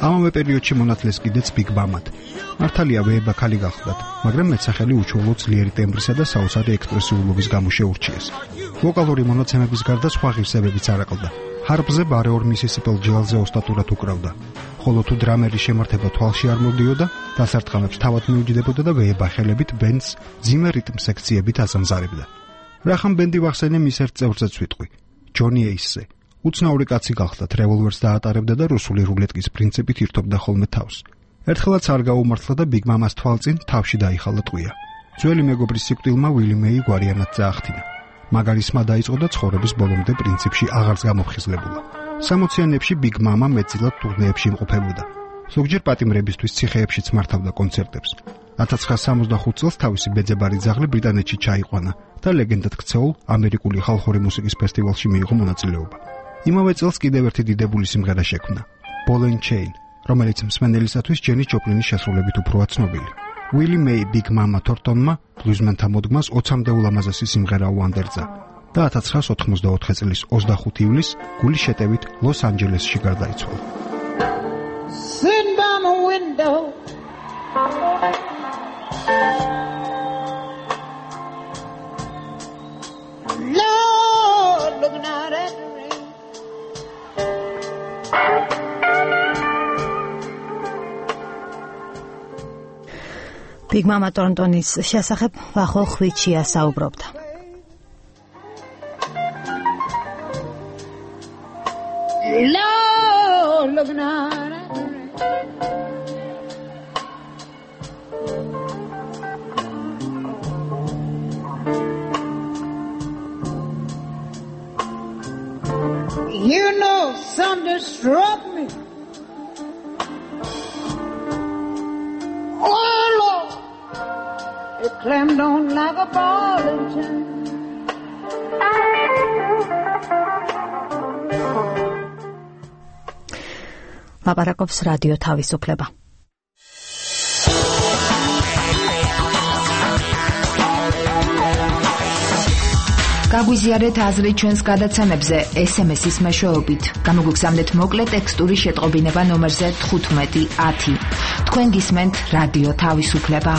B: ამავე პერიოდში მონათლეს კიდეც ბიგ მამად. მართალია ვეება ქალი გახლდათ, მაგრამ მეცახელი უჩვეულო ძლიერი ტემბრისა და საოცარი ექსპრესიულობის გამო შეურჩიეს. ვოკალური მონაცემების გარდა სხვა ღირსებებიც არაკლდა. ჰარპზე ბარეორ მისისიპელ ჯელზე ოსტატურად უკრავდა. ხოლო თუ დრამერის შემართება თვალში არ მოდიოდა, დასარტყამებს თავად მიუჯდებოდა და ვეება ხელებით ბენდს ძიმე რიტმ სექციებით აზამზარებდა. რახან ბენდი ვახსენე მის ერთ წევრზეც ვიტყვი, ჯონი ეისზე. უცნაური კაცი გახლდათ, რევოლვერს დაატარებდა და რუსული რულეტკის პრინციპით ირთობდა ხოლმე თავს. ერთხელაც არ გაუმართლა და ბიგ მამას თვალწინ თავში დაიხალა ტყვია. ძველი მეგობრის სიკვდილმა ვილი მეი გვარიანად წაახტინა. მაგარი სმა დაიწყო და ცხოვრების ბოლომდე პრინციპში აღარც გამოფხიზლებულა. 60-იანებში ბიგ მამა მეტწილად ტურნეებში იმყოფებოდა. ზოგჯერ პატიმრებისთვის ციხეებშიც მართავდა კონცერტებს. 1965 წელს თავისი მეძებარი ძაღლი ბრიტანეთში ჩაიყვანა და ლეგენდად ქცეულ ამერიკული ხალხური მუსიკის ფესტივალში მიიღო მონაწილეობა. იმავე წელს კიდევ ერთი დიდებული სიმღერა შექმნა, Ball and Chain, რომელიც მსმენელისათვის ჯენი ჯოპლინის შესრულებით უფროა ცნობილი. Willie May Big Mama Thorntonმა ბლუზმენთა მოდგმას 20-მდე ულამაზესი სიმღერა უანდერძა და 1984 წლის 25 ივლისს გულის შეტევით ლოს-ანჯელესში გარდაიცვალა.
J: Sitting by my window, Lord, looking out at the rain.
E: Big Mama Thorntonis შესახებ ვახო ხვიჩია საუბრობდა.
J: Lord, looking out at the rain. You know, something struck me. Oh, Lord, it clammed on like a ball and chain.
E: ლაპარაკობს რადიო თავისუფლება.
F: გაგვიზიარეთ აზრი ჩვენს გადაცემებზე SMS-ის მეშვეობით. გამოგვიგზავნეთ მოკლე ტექსტური შეტყობინება ნომერზე 1510. თქვენ გისმენთ რადიო თავისუფლება.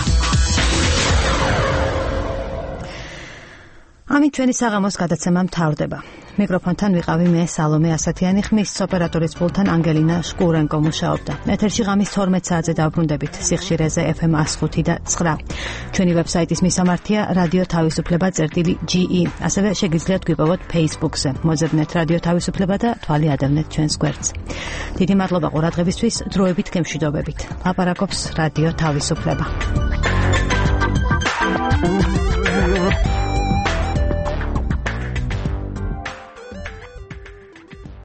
E: ამით ჩვენი საღამოს გადაცემა მთავრდება. მიკროფონთან ვიყავი მე სალომე ასათიანი, ხმის ოპერატორის პულტთან ანგელინა შკურენკო მუშაობდა. ეთერში ღამის 12 საათზე დავბრუნდებით სიხშირეზე FM 105 და 9. ჩვენი ვებსაიტის მისამართია რადიო თავისუფლება.ge. ასევე შეგიძლიათ გვიპოვოთ Facebook-ზე. მოძებნეთ რადიო თავისუფლება და თვალი ადევნეთ ჩვენს გვერდს. დიდი მადლობა ყურადღებისთვის, დროებით გემშვიდობებით. ლაპარაკობს რადიო თავისუფლება.